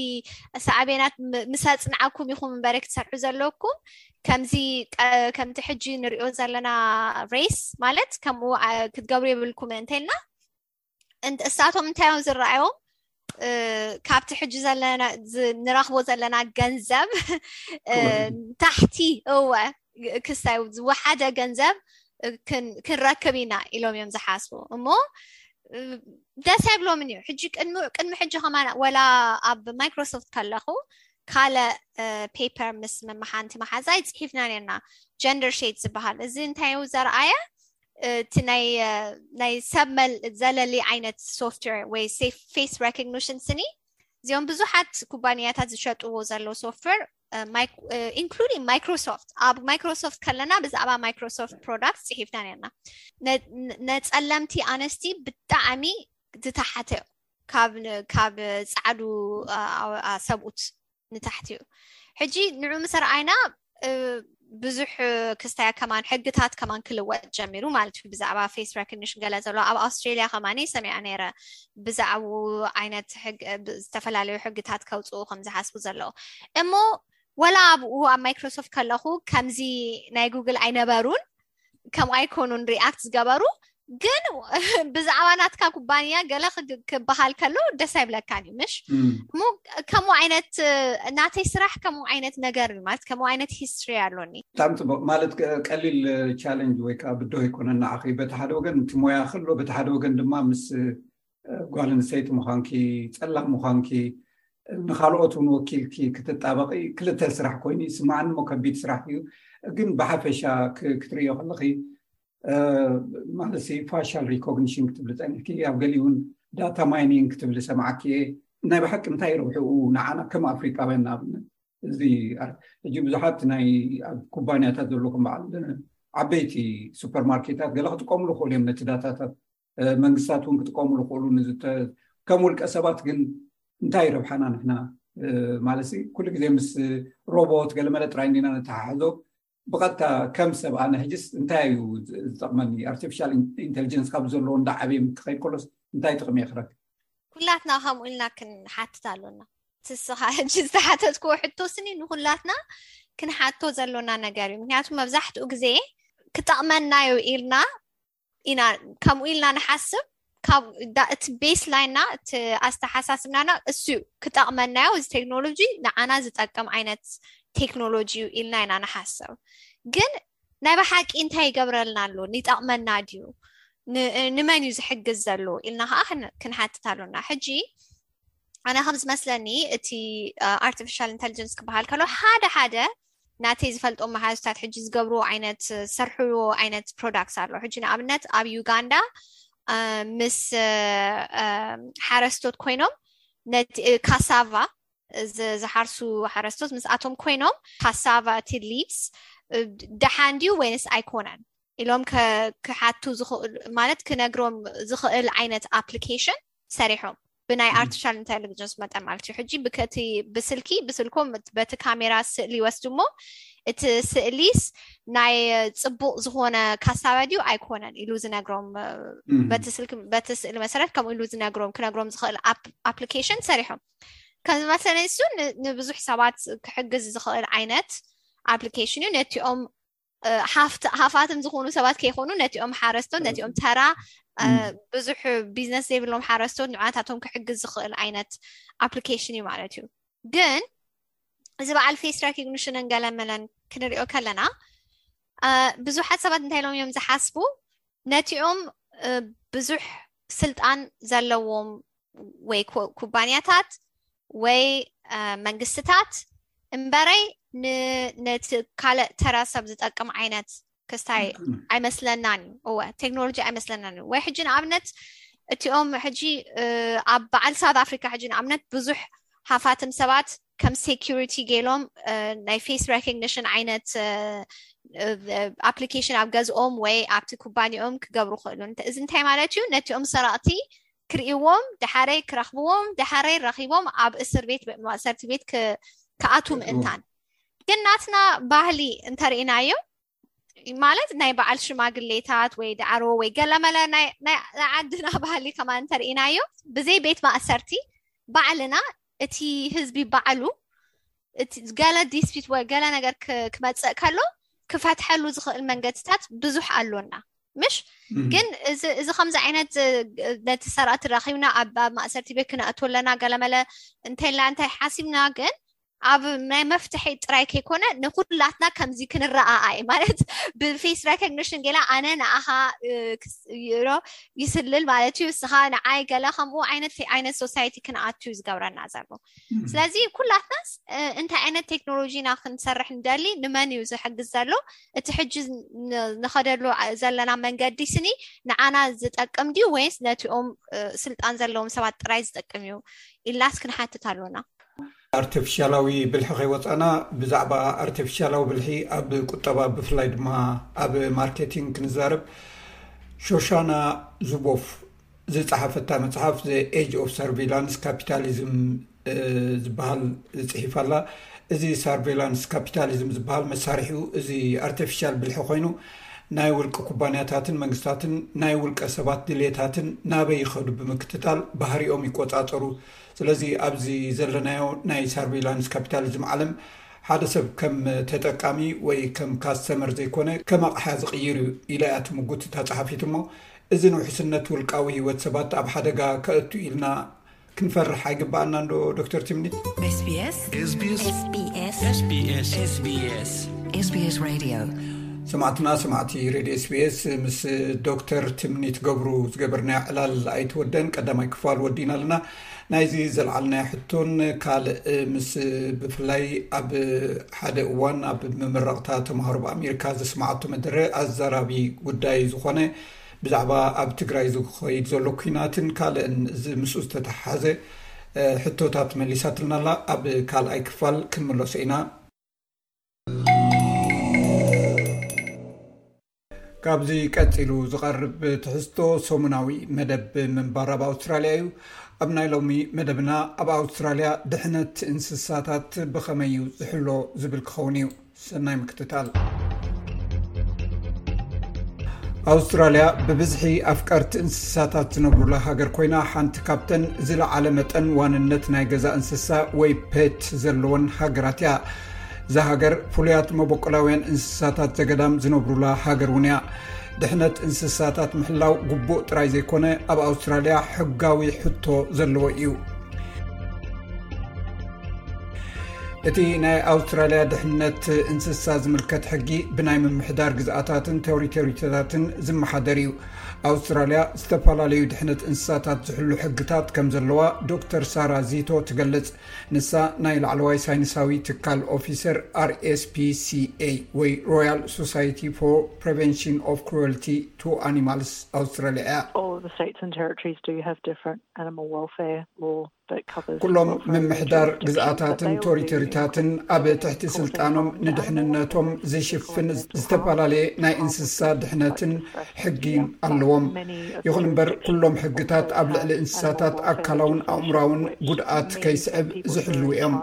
ሳዕቤናት ምስ ኣፅንዓኩም ኢኹም እምበረ ክትሰርሑ ዘለኩም። ከምዚ ከምቲ ሕጂ ንሪኦ ዘለና ሬስ ማለት ከምኡ ክትገብሩ የብልኩም እንተልና እሳቶም እንታይ እዮም ዝረኣዮም? ካብቲ ሕጂ ዘለና ንረኽቦ ዘለና ገንዘብ ታሕቲ እወ ክሳይ ዝወሓደ ገንዘብ ክንረክብ ኢና ኢሎም እዮም ዝሓስቡ። እሞ ደስ ኣይብሎምን እዩ። ሕጂ ቅድሚ ሕጂ ከማን ወላ ኣብ ማይክሮሶፍት ከለኹ ካልእ ፔፐር ምስ መመሓንቲ መሓዛይ ፅሒፍና ነርና ጀንደር ሼድ ዝበሃል። እዚ እንታይ እዩ ዘርኣየ? እቲ ናይ ሰብ ዘለሊ ዓይነት ሶፍትዌር ወይ ፌስ ሬኮግኒሽን ስኒ እዚኦም ብዙሓት ኩባንያታት ዝሸጥዎ ዘለዉ ሶፍትዌር including ማይክሮሶፍት ኣብ ማይክሮሶፍት ከለና ብዛዕባ ማይክሮሶፍት ፕሮዳክት ፅሒፍና ነርና። ነፀለምቲ ኣነስቲ ብጣዕሚ ዝተሓተ ካብ ፃዕዱ ሰብኡት ንታሕቲ እዩ። ሕጂ ንዑ ምስ ረኣይና ብዙሕ ክስታይ ከማን ሕግታት ከማን ክልወጥ ጀሚሩ ማለት እዩ። ብዛዕባ ፌስ ሬኮግኒሽን ገለ ዘሎ ኣብ ኣውስትሬሊያ ከማን ሰሚዐ ነይረ ብዛዕባኡ ዓይነት ዝተፈላለዩ ሕግታት ከውፅኡ ከም ዝሓስቡ ዘለዉ። እሞ ወላ ኣብኡ ኣብ ማይክሮሶፍት ከለኹ ከምዚ ናይ ጉግል ኣይነበሩን ከምኡ ኣይኮኑን ሪኣክት ዝገበሩ ግን ብዛዕባ ናትካ ኩባንያ ገለ ክበሃል ከሎ ደስ ኣይብለካን እዩ ምሽ? እሞ ከምኡ ዓይነት ናተይ ስራሕ ከምኡ ዓይነት ነገር እዩ ማለት ከምኡ ዓይነት ሂስትሪ ኣሎኒ። ብጣዕሚ ፅቡቅ። ማለት ቀሊል ቻለንጅ ወይ ከዓ ብድሆ ኣይኮነን ንዓኺ። በቲ ሓደ ወገን እቲ ሞያ ከሎ በቲ ሓደ ወገን ድማ ምስ ጓል ኣንስተይቲ ምዃንኪ፣ ፀላም ምዃንኪ፣ ንካልኦት እውን ወኪልኪ ክትጣበቂ ክልተ ስራሕ ኮይኑ ይስማዓኒ እሞ ከቢድ ስራሕ እዩ። ግን ብሓፈሻ ክትርእዮ ከለኺ ማለት ፋሻል ሪኮግኒሽን ክትብሊ ፀኒሕኪ ኣብ ገሊኡ እውን ዳታ ማይኒንግ ክትብሊ ሰማዓኪ እየ። ናይ ብሓቂ እንታይ ረብሕኡ ንዓና ከም ኣፍሪቃውያን ንኣብነት እዚ ሕጂ ብዙሓት ናይ ኣብ ኩባንያታት ዘለኹም በዓል ዓበይቲ ሱፐርማርኬታት ገለ ክጥቀምሉ ክእሉ እዮም ነቲ ዳታታት መንግስታት እውን ክጥቀምሉ ክእሉ ከም ውልቀ ሰባት ግን እንታይ ረብሓና ንሕና ማለት ኩሉ ግዜ ምስ ሮቦት ገለመለ ጥራይ እንዲና ነተሓሕዞ ብቐጥታ ከም ሰብ ኣነ ሕጅስ እንታይ እዩ ዝጠቕመኒ ኣርቲፊሻል ኢንቴሊጀንስ ካብ ዘለዎ እንዳዓበየ ምክኸይ ከሎስ እንታይ ጥቕሚ የኽረክ ኩላትና ከምኡ ኢልና ክንሓትት ኣሎና ትስኻ ሕጂ ዝተሓተትክዎ ሕቶ ስኒ ንኩላትና ክንሓቶ ዘሎና ነገር እዩ ምክንያቱ መብዛሕትኡ ግዜ ክጠቕመና እዩ ኢልና ኢና ከምኡ ኢልና ንሓስብ ካብ እቲ ቤስ ላይንና እቲ ኣስተሓሳስብናና እሱ እዩ ክጠቕመናዮ እዚ ቴክኖሎጂ ንዓና ዝጠቅም ዓይነት ቴክኖሎጂ እዩ ኢልና ኢና ንሓስብ ግን ናይ ብሓቂ እንታይ ይገብረልና ኣሎ ይጠቕመና ድዩ ንመን እዩ ዝሕግዝ ዘሎ ኢልና ከዓ ክንሓትት ኣሎና ሕጂ ኣነ ከም ዝመስለኒ እቲ ኣርቲፊሻል ኢንቴሊጀንስ ክበሃል ከሎ ሓደ ሓደ ናተይ ዝፈልጦም መሓዙታት ሕጂ ዝገብርዎ ዓይነት ዝሰርሕዎ ዓይነት ፕሮዳክትስ ኣሎ ሕጂ ንኣብነት ኣብ ዩጋንዳ ምስ ሓረስቶት ኮይኖም ነቲ ካሳቫ ዝሓርሱ ሓረስቶት ምስኣቶም ኮይኖም ካሳቫ እቲ ሊቭስ ደሓን ድዩ ወይንስ ኣይኮነን ኢሎም ክሓቱ ማለት ክነግሮም ዝኽእል ዓይነት ኣፕሊኬሽን ሰሪሖም ብናይ ኣርቲፊሻል ኢንቴሊጀንስ መጠን ማለት እዩ ሕጂ ብከቲ ብስልኪ ብስልኮም በቲ ካሜራ ስእሊ ይወስዱ እሞ እቲ ስእሊስ ናይ ፅቡቅ ዝኾነ ካሳባ ድዩ ኣይኮነን ኢሉ ዝነግሮም በቲ ስልኪ በቲ ስእሊ መሰረት ከምኡ ኢሉ ዝነግሮም ክነግሮም ዝኽእል ኣፕሊኬሽን ሰሪሖም ከም ዝመስለኒ እሱ ንብዙሕ ሰባት ክሕግዝ ዝኽእል ዓይነት ኣፕሊኬሽን እዩ ነቲኦም ሃፋትም ዝኾኑ ሰባት ከይኮኑ ነቲኦም ሓረስቶት፣ ነቲኦም ተራ ብዙሕ ቢዝነስ ዘይብሎም ሓረስቶት ንዓታቶም ክሕግዝ ዝኽእል ዓይነት ኣፕሊኬሽን እዩ ማለት እዩ። ግን እዚ በዓል ፌስ ሬኮግኒሽንን ገለመለን ክንሪኦ ከለና ብዙሓት ሰባት እንታይ ኢሎም እዮም ዝሓስቡ? ነቲኦም ብዙሕ ስልጣን ዘለዎም ወይ ኩባንያታት ወይ መንግስትታት እምበረይ ነቲ ካልእ ተራ ሰብ ዝጠቅም ዓይነት ክስታይ ኣይመስለናን እዩ። እወ፣ ቴክኖሎጂ ኣይመስለናን እዩ። ወይ ሕጂ ንኣብነት እቲኦም ሕጂ ኣብ በዓል ሳውት ኣፍሪካ ሕጂ ንኣብነት ብዙሕ ሃፋትም ሰባት ከም ሴኪሪቲ ገይሎም ናይ ፌስ ሬኮግኒሽን ዓይነት ኣፕሊኬሽን ኣብ ገዝኦም ወይ ኣብቲ ኩባንያኦም ክገብሩ ክእሉ። እዚ እንታይ ማለት እዩ? ነቲኦም ሰረቕቲ ክርእይዎም፣ ዳሕረይ ክረኽብዎም፣ ዳሕረይ ረኺቦም ኣብ እስር ቤት ማእሰርቲ ቤት ክኣቱ ምእንታን። ግን ናትና ባህሊ እንተርኢናዮ ማለት ናይ በዓል ሽማግሌታት ወይ ዳዕሮ ወይ ገለመለ ናይ ዓድና ባህሊ ከማ እንተርኢናዮ ብዘይ ቤት ማእሰርቲ ባዕልና እቲ ህዝቢ ባዕሉ ገለ ዲስፒት ወይ ገለ ነገር ክመፅእ ከሎ ክፈትሐሉ ዝኽእል መንገድታት ብዙሕ ኣሎና ምሽ? ግን እዚ ከምዚ ዓይነት ነቲ ሰራእቲ ረኺብና ኣብ ማእሰርቲ ቤት ክነእቶ ኣለና ገለመለ እንተላ እንታይ ሓሲብና ግን ኣብ ናይ መፍትሒ ጥራይ ከይኮነ ንኩላትና ከምዚ ክንረኣኣይ ማለት ብፌስ ሬኮግኒሽን ገላ ኣነ ንኣኻ ይስልል ማለት እዩ፣ እስኻ ንዓይ ገለ ከምኡ ዓይነት ዓይነት ሶሳይቲ ክንኣቱ እዩ ዝገብረና ዘሎ። ስለዚ ኩላትናስ እንታይ ዓይነት ቴክኖሎጂ ኢና ክንሰርሕ ንደሊ፣ ንመን እዩ ዝሕግዝ ዘሎ፣ እቲ ሕጂ ንኸደሉ ዘለና መንገዲ ስኒ ንዓና ዝጠቅም ድዩ ወይስ ነቲኦም ስልጣን ዘለዎም ሰባት ጥራይ ዝጠቅም እዩ ኢልናስ ክንሓትት ኣሎና። ኣርቲፊሻላዊ ብልሒ ከይወፃና ብዛዕባ ኣርቲፊሻላዊ ብልሒ ኣብ ቁጠባ ብፍላይ ድማ ኣብ ማርኬቲንግ ክንዛረብ ሾሻና ዙቦፍ ዝፀሓፈታ መፅሓፍ The Age of Surveillance Capitalism ዝበሃል ፅሒፍ ኣላ። እዚ ሳርቬላንስ ካፒታሊዝም ዝበሃል መሳርሒኡ እዚ ኣርቲፊሻል ብልሒ ኮይኑ ናይ ውልቂ ኩባንያታትን መንግስታትን ናይ ውልቀ ሰባት ድሌታትን ናበይ ይኸዱ ብምክትታል ባህሪኦም ይቆፃፀሩ። ስለዚ ኣብዚ ዘለናዮ ናይ ሳርቬላንስ ካፒታሊዝም ዓለም ሓደ ሰብ ከም ተጠቃሚ ወይ ከም ካስተመር ዘይኮነ ከም ኣቕሓ ዝቕይር እዩ ኢላ እያ ትምጉት እታ ጸሓፊት። እሞ እዚ ንውሕስነት ውልቃዊ ህይወት ሰባት ኣብ ሓደጋ ከእቱ ኢልና ክንፈርሕ ኣይግባኣና እንዶ ዶክተር ትምኒት? SBS SBS SBS SBS SBS Radio ሰማዕትና ሰማዕቲ ሬድዮ ኤስቢኤስ ምስ ዶክተር ትምኒት ገብሩ ዝገበርናዮ ዕላል ኣይትወደን። ቀዳማይ ክፋል ወዲና ኣለና። ናይዚ ዘልዓልናዮ ሕቶን ካልእ ምስ ብፍላይ ኣብ ሓደ እዋን ኣብ ምምረቕታ ተምሃሮ ብኣሜሪካ ዘስማዓቶ መደረ ኣዘራቢ ጉዳይ ዝኾነ ብዛዕባ ኣብ ትግራይ ዝኸይድ ዘሎ ኩናትን ካልእን ምስኡ ዝተተሓሓዘ ሕቶታት መሊሳትልና ኣላ። ኣብ ካልኣይ ክፋል ክንምለሶ ኢና። ካብዚ ቀጺሉ ዝቐርብ ትሕዝቶ ሰሙናዊ መደብ ምንባር ኣብ ኣውስትራልያ እዩ። ኣብ ናይ ሎሚ መደብና ኣብ ኣውስትራልያ ድሕነት እንስሳታት ብኸመይ እዩ ዝሕሎ ዝብል ክኸውን እዩ። ሰናይ ምክትታል። ኣውስትራልያ ብብዝሒ ኣፍቀርቲ እንስሳታት ዝነብሩላ ሃገር ኮይና ሓንቲ ካብተን ዝለዓለ መጠን ዋንነት ናይ ገዛ እንስሳ ወይ ፔት ዘለወን ሃገራት እያ። እዛ ሃገር ፍሉያት መበቆላውያን እንስሳታት ዘገዳም ዝነብሩላ ሃገር እውን እያ። ድሕነት እንስሳታት ምሕላው ግቡእ ጥራይ ዘይኮነ ኣብ ኣውስትራልያ ሕጋዊ ሕቶ ዘለዎ እዩ። እቲ ናይ ኣውስትራልያ ድሕነት እንስሳ ዝምልከት ሕጊ ብናይ ምምሕዳር ግዝኣታትን ቴሪቶሪታትን ዝመሓደር እዩ። ኣውስትራልያ ዝተፈላለዩ ድሕነት እንስሳታት ዝሕሉ ሕግታት ከም ዘለዋ ዶክተር ሳራ ዚቶ ትገልጽ። ንሳ ናይ ላዕለዋይ ሳይንሳዊ ትካል ኦፊሰር ኣር ኤስ ፒ ሲ ኤ ወይ ሮያል ሶሳይቲ ፎር ፕሪቨንሽን ኦፍ ክሩዌልቲ ቱ ኣኒማልስ ኣውስትራልያ እያ። All the states and territories do have different animal welfare law. ኩሎም ምምሕዳር ግዝኣታትን ቶሪቶሪታትን ኣብ ትሕቲ ስልጣኖም ንድሕንነቶም ዝሽፍን ዝተፈላለየ ናይ እንስሳ ድሕነትን ሕጊን ኣለዎም። ይኹን እምበር ኩሎም ሕግታት ኣብ ልዕሊ እንስሳታት ኣካላውን ኣእምራውን ጉድኣት ከይስዕብ ዝሕልው እዮም።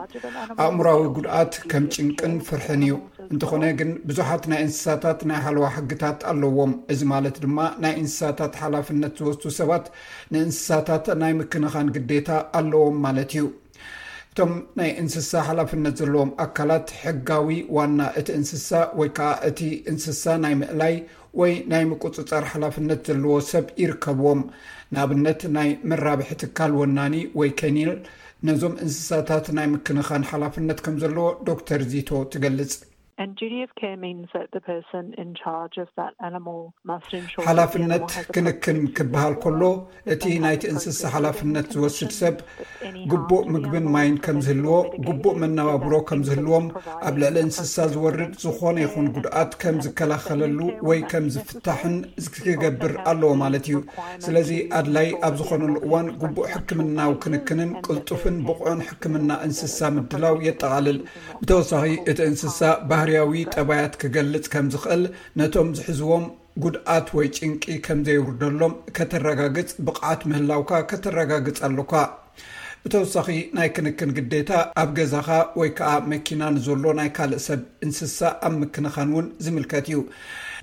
ኣእምራዊ ጉድኣት ከም ጭንቅን ፍርሕን እዩ። እንተኾነ ግን ብዙሓት ናይ እንስሳታት ናይ ሓለዋ ሕግታት ኣለዎም። እዚ ማለት ድማ ናይ እንስሳታት ሓላፍነት ዝወስዱ ሰባት ንእንስሳታት ናይ ምክንኻን ግዴታ ኣለዎም ማለት እዩ። እቶም ናይ እንስሳ ሓላፍነት ዘለዎም ኣካላት ሕጋዊ ዋና እቲ እንስሳ ወይ ከዓ እቲ እንስሳ ናይ ምእላይ ወይ ናይ ምቁፅፃር ሓላፍነት ዘለዎ ሰብ ይርከብዎም። ንኣብነት ናይ መራብሒ ትካል ወናኒ ወይ ከኒል ነዞም እንስሳታት ናይ ምክንኻን ሓላፍነት ከም ዘለዎ ዶክተር ዚቶ ትገልጽ። And duty of care means that the person in charge of that animal must ensure that the animal ሓላፍነት has a ክንክን ክበሃል ከሎ እቲ ናይቲ እንስሳ ሓላፍነት ዝወስድ ሰብ ግቡእ ምግብን ማይን ከም ዝህልዎ፣ ግቡእ መነባብሮ ከም ዝህልዎም፣ ኣብ ልዕሊ እንስሳ ዝወርድ ዝኾነ ይኹን ጉድኣት ከም ዝከላኸለሉ ወይ ከም ዝፍታሕን ክገብር ኣለዎ ማለት እዩ። ስለዚ ኣድላይ ኣብ ዝኾነሉ እዋን ግቡእ ሕክምናዊ ክንክንን ቅልጡፍን ብቑዕን ሕክምና እንስሳ ምድላው የጠቓልል። ብተወሳኺ እቲ እንስሳ ባህርያዊ ጠባያት ክገልጽ ከም ዝኽእል፣ ነቶም ዝሕዝዎም ጉድኣት ወይ ጭንቂ ከም ዘየውርደሎም ከተረጋግጽ ብቕዓት ምህላውካ ከተረጋግጽ ኣሎካ። ብተወሳኺ ናይ ክንክን ግዴታ ኣብ ገዛኻ ወይ ከዓ መኪና ንዘሎ ናይ ካልእ ሰብ እንስሳ ኣብ ምክንኻን እውን ዝምልከት እዩ።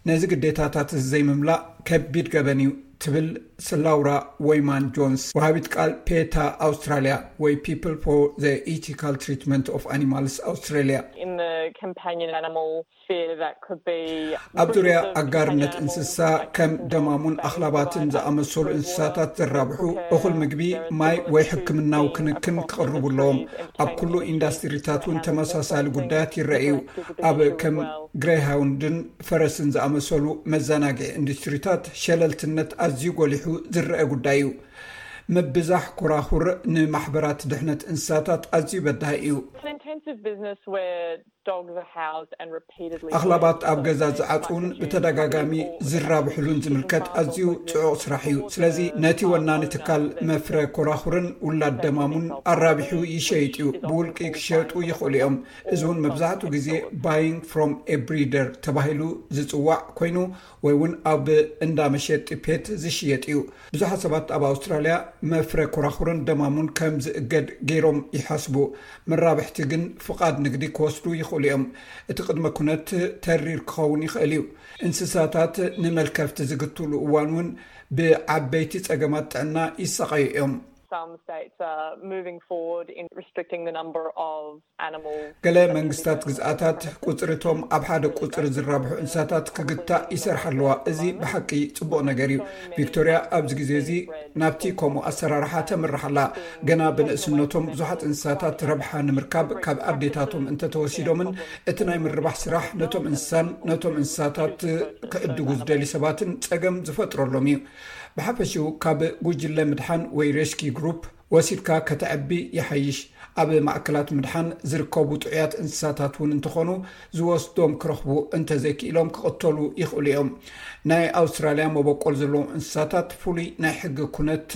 ነዚ ግዴታታት እዚ ዘይምምላእ ከቢድ ገበን እዩ ትብል ስላውራ ወይማን ጆንስ፣ ወሃቢት ቃል ፔታ ኣውስትራሊያ ወይ People for the Ethical Treatment of Animals Australia። In the companion animal sphere, that could be ኣብ ዙርያ ኣጋርነት እንስሳ ከም ደማሙን ኣኽላባትን ዝኣመሰሉ እንስሳታት ዘራብሑ እኹል ምግቢ፣ ማይ ወይ ሕክምናዊ ክንክን ክቕርቡ ኣለዎም። ኣብ ኩሉ ኢንዳስትሪታት እውን ተመሳሳሊ ጉዳያት ይረኣዩ። ኣብ ከም ግሬሃውንድን ፈረስን ዝኣመሰሉ መዘናግዒ ኢንዱስትሪታት ሸለልትነት ኣዝዩ ጎሊሑ ዝረአ ጉዳይ እዩ። ምብዛሕ ኮራኹር ንማሕበራት ድሕነት እንስሳታት ኣዝዩ በዳሂ እዩ። An intensive business where dogs are housed and repeatedly ኣኽላባት ኣብ ገዛ ዝዓፅውን ብተደጋጋሚ ዝራብሕሉን ዝምልከት ኣዝዩ ጽዑቕ ስራሕ እዩ። ስለዚ ነቲ ወናኒ ትካል መፍረ ኮራኹርን ውላድ ደማሙን ኣራቢሑ ይሸይጥ እዩ። ብውልቂ ክሸጡ ይኽእሉ እዮም። እዚ እውን መብዛሕትኡ ግዜ buying from a breeder ተባሂሉ ዝጽዋዕ ኮይኑ ወይ እውን ኣብ እንዳ መሸጢ ፔት ዝሽየጥ እዩ። ብዙሓት ሰባት ኣብ ኣውስትራልያ መፍረ ኮራኹርን ደማሙን ከም ዝእገድ ገይሮም ይሓስቡ። መራብሕቲ ግን ፍቓድ ንግዲ ክወስዱ ይኽእሉ እዮም። እቲ ቅድመ ኩነት ተሪር ክኸውን ይኽእል እዩ። እንስሳታት ንመልከፍቲ ዝግትሉ እዋን እውን ብዓበይቲ ጸገማት ጥዕና ይሰቓዩ እዮም። Some states are moving forward in restricting the number of animals. ገለ መንግስታት ግዝኣታት ቁፅሪ እቶም ኣብ ሓደ ቁፅሪ ዝራብሑ እንስሳታት ክግታእ ይሰርሓ ኣለዋ። እዚ ብሓቂ ጽቡቕ ነገር እዩ። ቪክቶሪያ ኣብዚ ግዜ እዚ ናብቲ ከምኡ ኣሰራርሓ ተምርሕ ኣላ። ገና ብንእስነቶም ብዙሓት እንስሳታት ረብሓ ንምርካብ ካብ ኣዴታቶም እንተተወሲዶምን እቲ ናይ ምርባሕ ስራሕ ነቶም እንስሳን ነቶም እንስሳታት ክዕድጉ ዝደልዩ ሰባትን ጸገም ዝፈጥረሎም እዩ። ብሓፈሽኡ ካብ ጉጅለ ምድሓን ወይ ሬስኪ ግሩፕ ወሲድካ ከተዕቢ ይሓይሽ። ኣብ ማእከላት ምድሓን ዝርከቡ ጥዑያት እንስሳታት እውን እንተኾኑ ዝወስዶም ክረኽቡ እንተዘይክኢሎም ክቕተሉ ይኽእሉ እዮም። ናይ ኣውስትራልያ መበቆል ዘለዎም እንስሳታት ፍሉይ ናይ ሕጊ ኩነት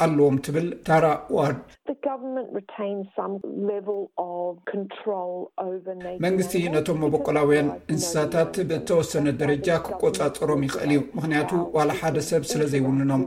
ኣለዎም ትብል ታራ ዋርድ። The government retains some level of control over nature መንግስቲ ነቶም መበቆላውያን እንስሳታት ብተወሰነ ደረጃ ክቆጻጸሮም ይኽእል እዩ፣ ምኽንያቱ ዋላ ሓደ ሰብ ስለ ዘይውንኖም።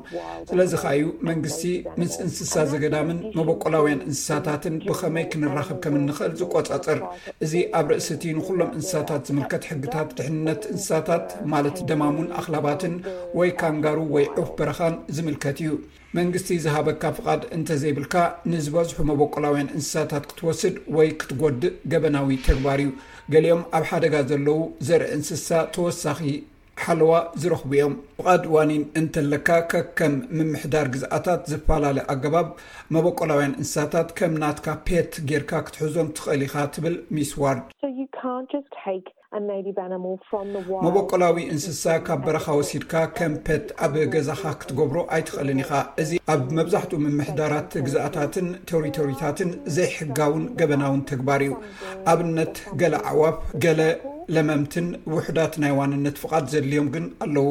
ስለዚ ከኣ እዩ መንግስቲ ምስ እንስሳ ዘገዳምን መበቆላውያን እንስሳታትን ብኸመይ ክንራኸብ ከም እንኽእል ዝቆጻጸር። እዚ ኣብ ርእሲ እቲ ንኹሎም እንስሳታት ዝምልከት ሕግታት ድሕንነት እንስሳታት፣ ማለት ደማሙን ኣኽላባትን ወይ ካንጋሩ ወይ ዑፍ በረኻን ዝምልከት እዩ። መንግስቲ ዝሃበካ ፍቓድ እንተዘይብልካ ንዝበዝሑ መበቆላውያን እንስሳታት ክትወስድ ወይ ክትጎድእ ገበናዊ ተግባር እዩ። ገሊኦም ኣብ ሓደጋ ዘለዉ ዘርኢ እንስሳ ተወሳኺ ሓለዋ ዝረኽቡ እዮም። ፍቓድ ዋኒን እንተለካ፣ ከከም ምምሕዳር ግዝኣታት ዝፈላለ ኣገባብ መበቆላውያን እንስሳታት ከም ናትካ ፔት ጌርካ ክትሕዞም ትኽእል ኢኻ ትብል ሚስ ዋርድ። So you can't just take a native animal from the wild. መበቆላዊ እንስሳ ካብ በረኻ ወሲድካ ከም ፔት ኣብ ገዛኻ ክትገብሮ ኣይትኽእልን ኢኻ። እዚ ኣብ መብዛሕትኡ ምምሕዳራት ግዝኣታትን ቴሪቶሪታትን ዘይሕጋውን ገበናውን ተግባር እዩ። ኣብነት ገለ ኣዕዋፍ፣ ገለ ለመምትን ውሑዳት ናይ ዋንነት ፍቓድ ዘድልዮም ግን ኣለዉ።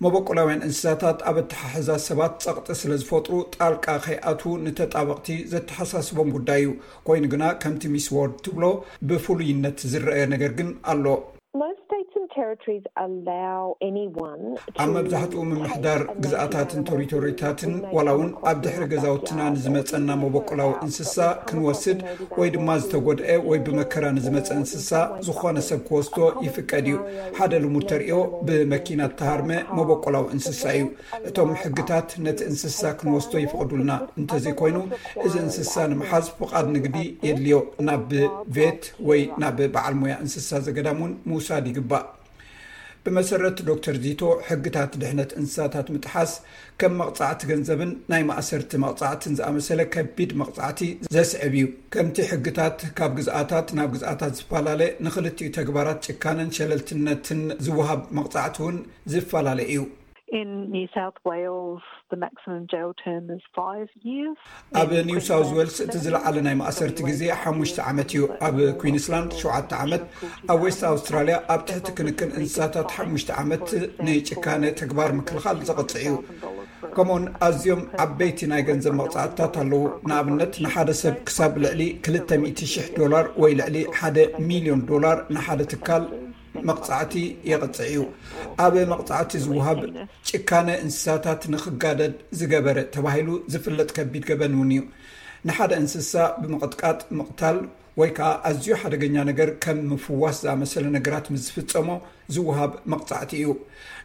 መበቆላውያን እንስሳታት ኣብ ኣተሓሕዛ ሰባት ጸቕጢ ስለ ዝፈጥሩ ጣልቃ ከይኣትዉ ንተጣበቕቲ ዘተሓሳስቦም ጉዳይ እዩ። ኮይኑ ግና ከምቲ ሚስ ዎርድ ትብሎ ብፍሉይነት ዝረአ ነገር ግን ኣሎ። Most states and territories allow anyone to ኣብ መብዛሕትኡ ምምሕዳር ግዝኣታትን ቴሪቶሪታትን ዋላ እውን ኣብ ድሕሪ ገዛውትና ንዝመፀና መበቆላዊ እንስሳ ክንወስድ ወይ ድማ ዝተጎድአ ወይ ብመከራ ንዝመፀ እንስሳ ዝኾነ ሰብ ክወስዶ ይፍቀድ እዩ። ሓደ ልሙድ ተርእዮ ብመኪና እተሃርመ መበቆላዊ እንስሳ እዩ። እቶም ሕግታት ነቲ እንስሳ ክንወስዶ ይፈቕዱልና። እንተዘይኮይኑ እዚ እንስሳ ንምሓዝ ፍቓድ ንግዲ የድልዮ። ናብ ቬት ወይ ናብ በዓል ሞያ እንስሳ ዘገዳም እውን ምውሳድ ይግባእ። ብመሰረት ዶክተር ዚቶ ሕግታት ድሕነት እንስሳታት ምጥሓስ ከም መቕፃዕቲ ገንዘብን ናይ ማእሰርቲ መቕፃዕትን ዝኣመሰለ ከቢድ መቕፃዕቲ ዘስዕብ እዩ። ከምቲ ሕግታት ካብ ግዝኣታት ናብ ግዝኣታት ዝፈላለ ንክልቲኡ ተግባራት ጭካነን ሸለልትነትን ዝወሃብ መቕፃዕቲ እውን ዝፈላለ እዩ። In New South Wales, the maximum jail term is five years. ኣብ ኒው ሳውዝ ዌልስ እቲ ዝለዓለ ናይ ማእሰርቲ ግዜ ሓሙሽተ ዓመት እዩ። ኣብ ኩዊንስላንድ ሸውዓተ ዓመት፣ ኣብ ዌስት ኣውስትራልያ ኣብ ትሕቲ ክንክን እንስሳታት ሓሙሽተ ዓመት ንጭካነ ተግባር ምክልኻል ዘቕፅዕ እዩ። ከምኡውን ኣዝዮም ዓበይቲ ናይ ገንዘብ መቕፃዕትታት ኣለዉ። ንኣብነት ንሓደ ሰብ ክሳብ ልዕሊ ክልተ ሚእቲ ሽሕ ዶላር ወይ ልዕሊ ሓደ ሚልዮን ዶላር ንሓደ ትካል መቕፃዕቲ የቕፅዕ እዩ። ኣብ መቕፃዕቲ ዝወሃብ ጭካነ እንስሳታት ንክጋደድ ዝገበረ ተባሂሉ ዝፍለጥ ከቢድ ገበን እውን እዩ። ንሓደ እንስሳ ብምቕጥቃጥ ምቕታል ወይ ከዓ ኣዝዩ ሓደገኛ ነገር ከም ምፍዋስ ዝኣመሰለ ነገራት ምስ ዝፍፀሞ ዝወሃብ መቕፃዕቲ እዩ።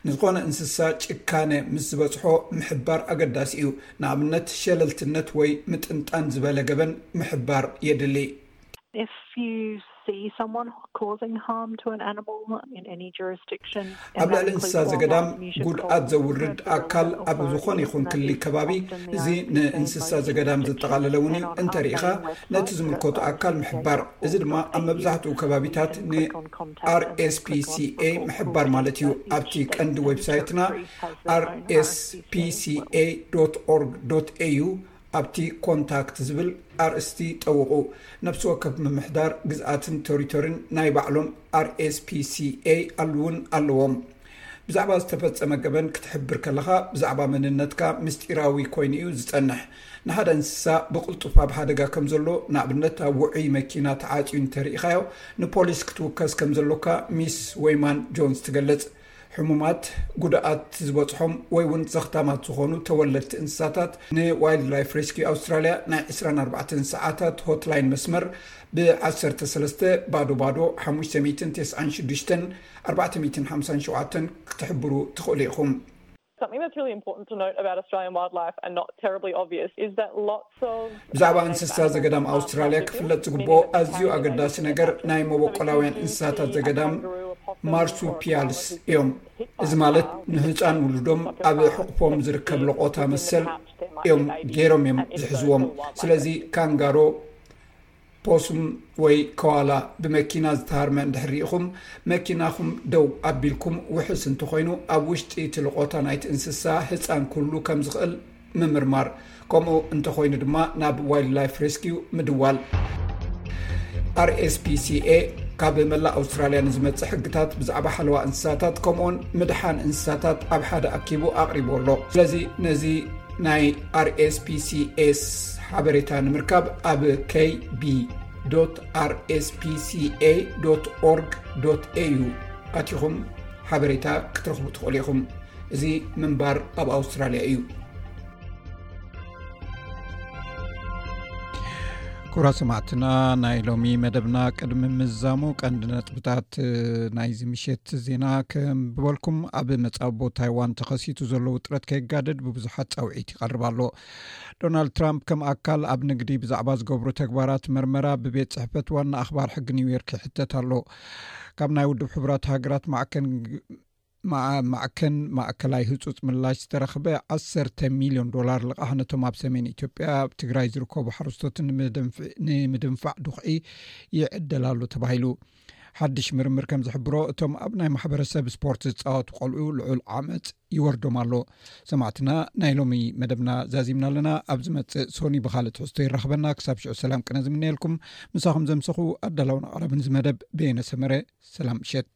ንዝኾነ እንስሳ ጭካነ ምስ ዝበፅሖ ምሕባር ኣገዳሲ እዩ። ንኣብነት ሸለልትነት ወይ ምጥንጣን ዝበለ ገበን ምሕባር የድሊ። If you see someone causing harm to an animal in any jurisdiction, ኣብ ልዕሊ እንስሳ ዘገዳም ጉድኣት ዘውርድ ኣካል ኣብ ዝኾነ ይኹን ክሊ ከባቢ፣ እዚ ንእንስሳ ዘገዳም ዘጠቓለለ እውን እዩ። እንተሪኢኻ ነቲ ዝምልከቱ ኣካል ምሕባር። እዚ ድማ ኣብ መብዛሕትኡ ከባቢታት ን RSPCA ምሕባር ማለት እዩ። ኣብቲ ቀንዲ ዌብሳይትና RSPCA.org.au ኣብቲ ኮንታክት ዝብል ኣርእስቲ ጠውቑ። ነፍሲ ወከፍ ምምሕዳር ግዝኣትን ቴሪቶሪን ናይ ባዕሎም RSPCA ኣሉውን ኣለዎም። ብዛዕባ ዝተፈጸመ ገበን ክትሕብር ከለኻ ብዛዕባ መንነትካ ምስጢራዊ ኮይኑ እዩ ዝጸንሕ። ንሓደ እንስሳ ብቕልጡፍ ኣብ ሓደጋ ከም ዘሎ፣ ንኣብነት ኣብ ውዑይ መኪና ተዓጽዩ እንተርኢኻዮ፣ ንፖሊስ ክትውከስ ከም ዘሎካ ሚስ ወይማን ጆንስ ትገልጽ። ሕሙማት፣ ጉድኣት ዝበጽሖም ወይ እውን ዘኽታማት ዝኾኑ ተወለድቲ እንስሳታት ን Wildlife Rescue Australia ናይ ዕስራን ኣርባዕተን ሰዓታት ሆትላይን መስመር ብ ዓሰርተ ሰለስተ ባዶ ባዶ ሓሙሽተ ሚእትን ተስዓን ሽዱሽተን ኣርባዕተ ሚእትን ሓምሳን ሸውዓተን ክትሕብሩ ትኽእሉ ኢኹም። Something that's really important to note about Australian wildlife and not terribly obvious is that lots of ብዛዕባ እንስሳ ዘገዳም ኣውስትራልያ ክፍለጥ ዝግብኦ ኣዝዩ ኣገዳሲ ነገር ናይ መበቆላውያን እንስሳታት ዘገዳም ማርሱፒያልስ እዮም። እዚ ማለት ንህፃን ውሉዶም ኣብ ሕቑፎም ዝርከብ ለቖታ መሰል እዮም ገይሮም እዮም ዝሕዝዎም። ስለዚ ካንጋሮ፣ ፖሱም ወይ ከዋላ ብመኪና ዝተሃርመ እንድሕር ርኢኹም፣ መኪናኹም ደው ኣቢልኩም ውሕስ እንተኾይኑ፣ ኣብ ውሽጢ እቲ ልቖታ ናይቲ እንስሳ ህፃን ክህሉ ከም ዝኽእል ምምርማር፣ ከምኡ እንተኾይኑ ድማ ናብ ዋይልድላይፍ ሬስኪው ምድዋል። RSPCA ካብ መላእ ኣውስትራልያ ንዝመጽእ ሕግታት ብዛዕባ ሓለዋ እንስሳታት ከምኡውን ምድሓን እንስሳታት ኣብ ሓደ ኣኪቡ ኣቕሪቡ ኣሎ። ስለዚ ነዚ ናይ RSPCAስ ሓበሬታ ንምርካብ ኣብ KB.rspca.org.au ኣቲኹም ሓበሬታ ክትረኽቡ ትኽእሉ ኢኹም። እዚ ምንባር ኣብ ኣውስትራልያ እዩ። ክቡራት ሰማዕትና፣ ናይ ሎሚ መደብና ቅድሚ ምዛሙ ቀንዲ ነጥብታት ናይዚ ምሸት ዜና ከንብበልኩም። ኣብ መጻብቦ ታይዋን ተኸሲቱ ዘሎ ውጥረት ከይጋደድ ብብዙሓት ጻውዒት ይቐርብ ኣሎ። ዶናልድ ትራምፕ ከም ኣካል ኣብ ንግዲ ብዛዕባ ዝገብሩ ተግባራት መርመራ ብቤት ጽሕፈት ዋና ኣኽባር ሕጊ ኒውዮርክ ይሕተት ኣሎ። ካብ ናይ ውድብ ሕቡራት ሃገራት ማዕከን ማዕከን ማእከላይ ህጹጽ ምላሽ ዝተረኽበ ዓሰርተ ሚልዮን ዶላር ልቓሕ ነቶም ኣብ ሰሜን ኢትዮጵያ ኣብ ትግራይ ዝርከቡ ሓረስቶት ንምድንፋዕ ድኹዒ ይዕደል ኣሎ ተባሂሉ። ሓድሽ ምርምር ከም ዝሕብሮ እቶም ኣብ ናይ ማሕበረሰብ ስፖርት ዝጻወቱ ቆልዑ ልዑል ዓመጽ ይወርዶም ኣሎ። ሰማዕትና፣ ናይ ሎሚ መደብና ዛዚምና ኣለና። ኣብ ዝመጽእ ሶኒ ብኻልእ ትሕዝቶ ይራኽበና። ክሳብ ሽዑ ሰላም ቅነ ዝምነየልኩም። ምሳኹም ዘምሰኹ ኣዳላውን ኣቕራብን እዚ መደብ በየነ ሰመረ። ሰላም ምሸት።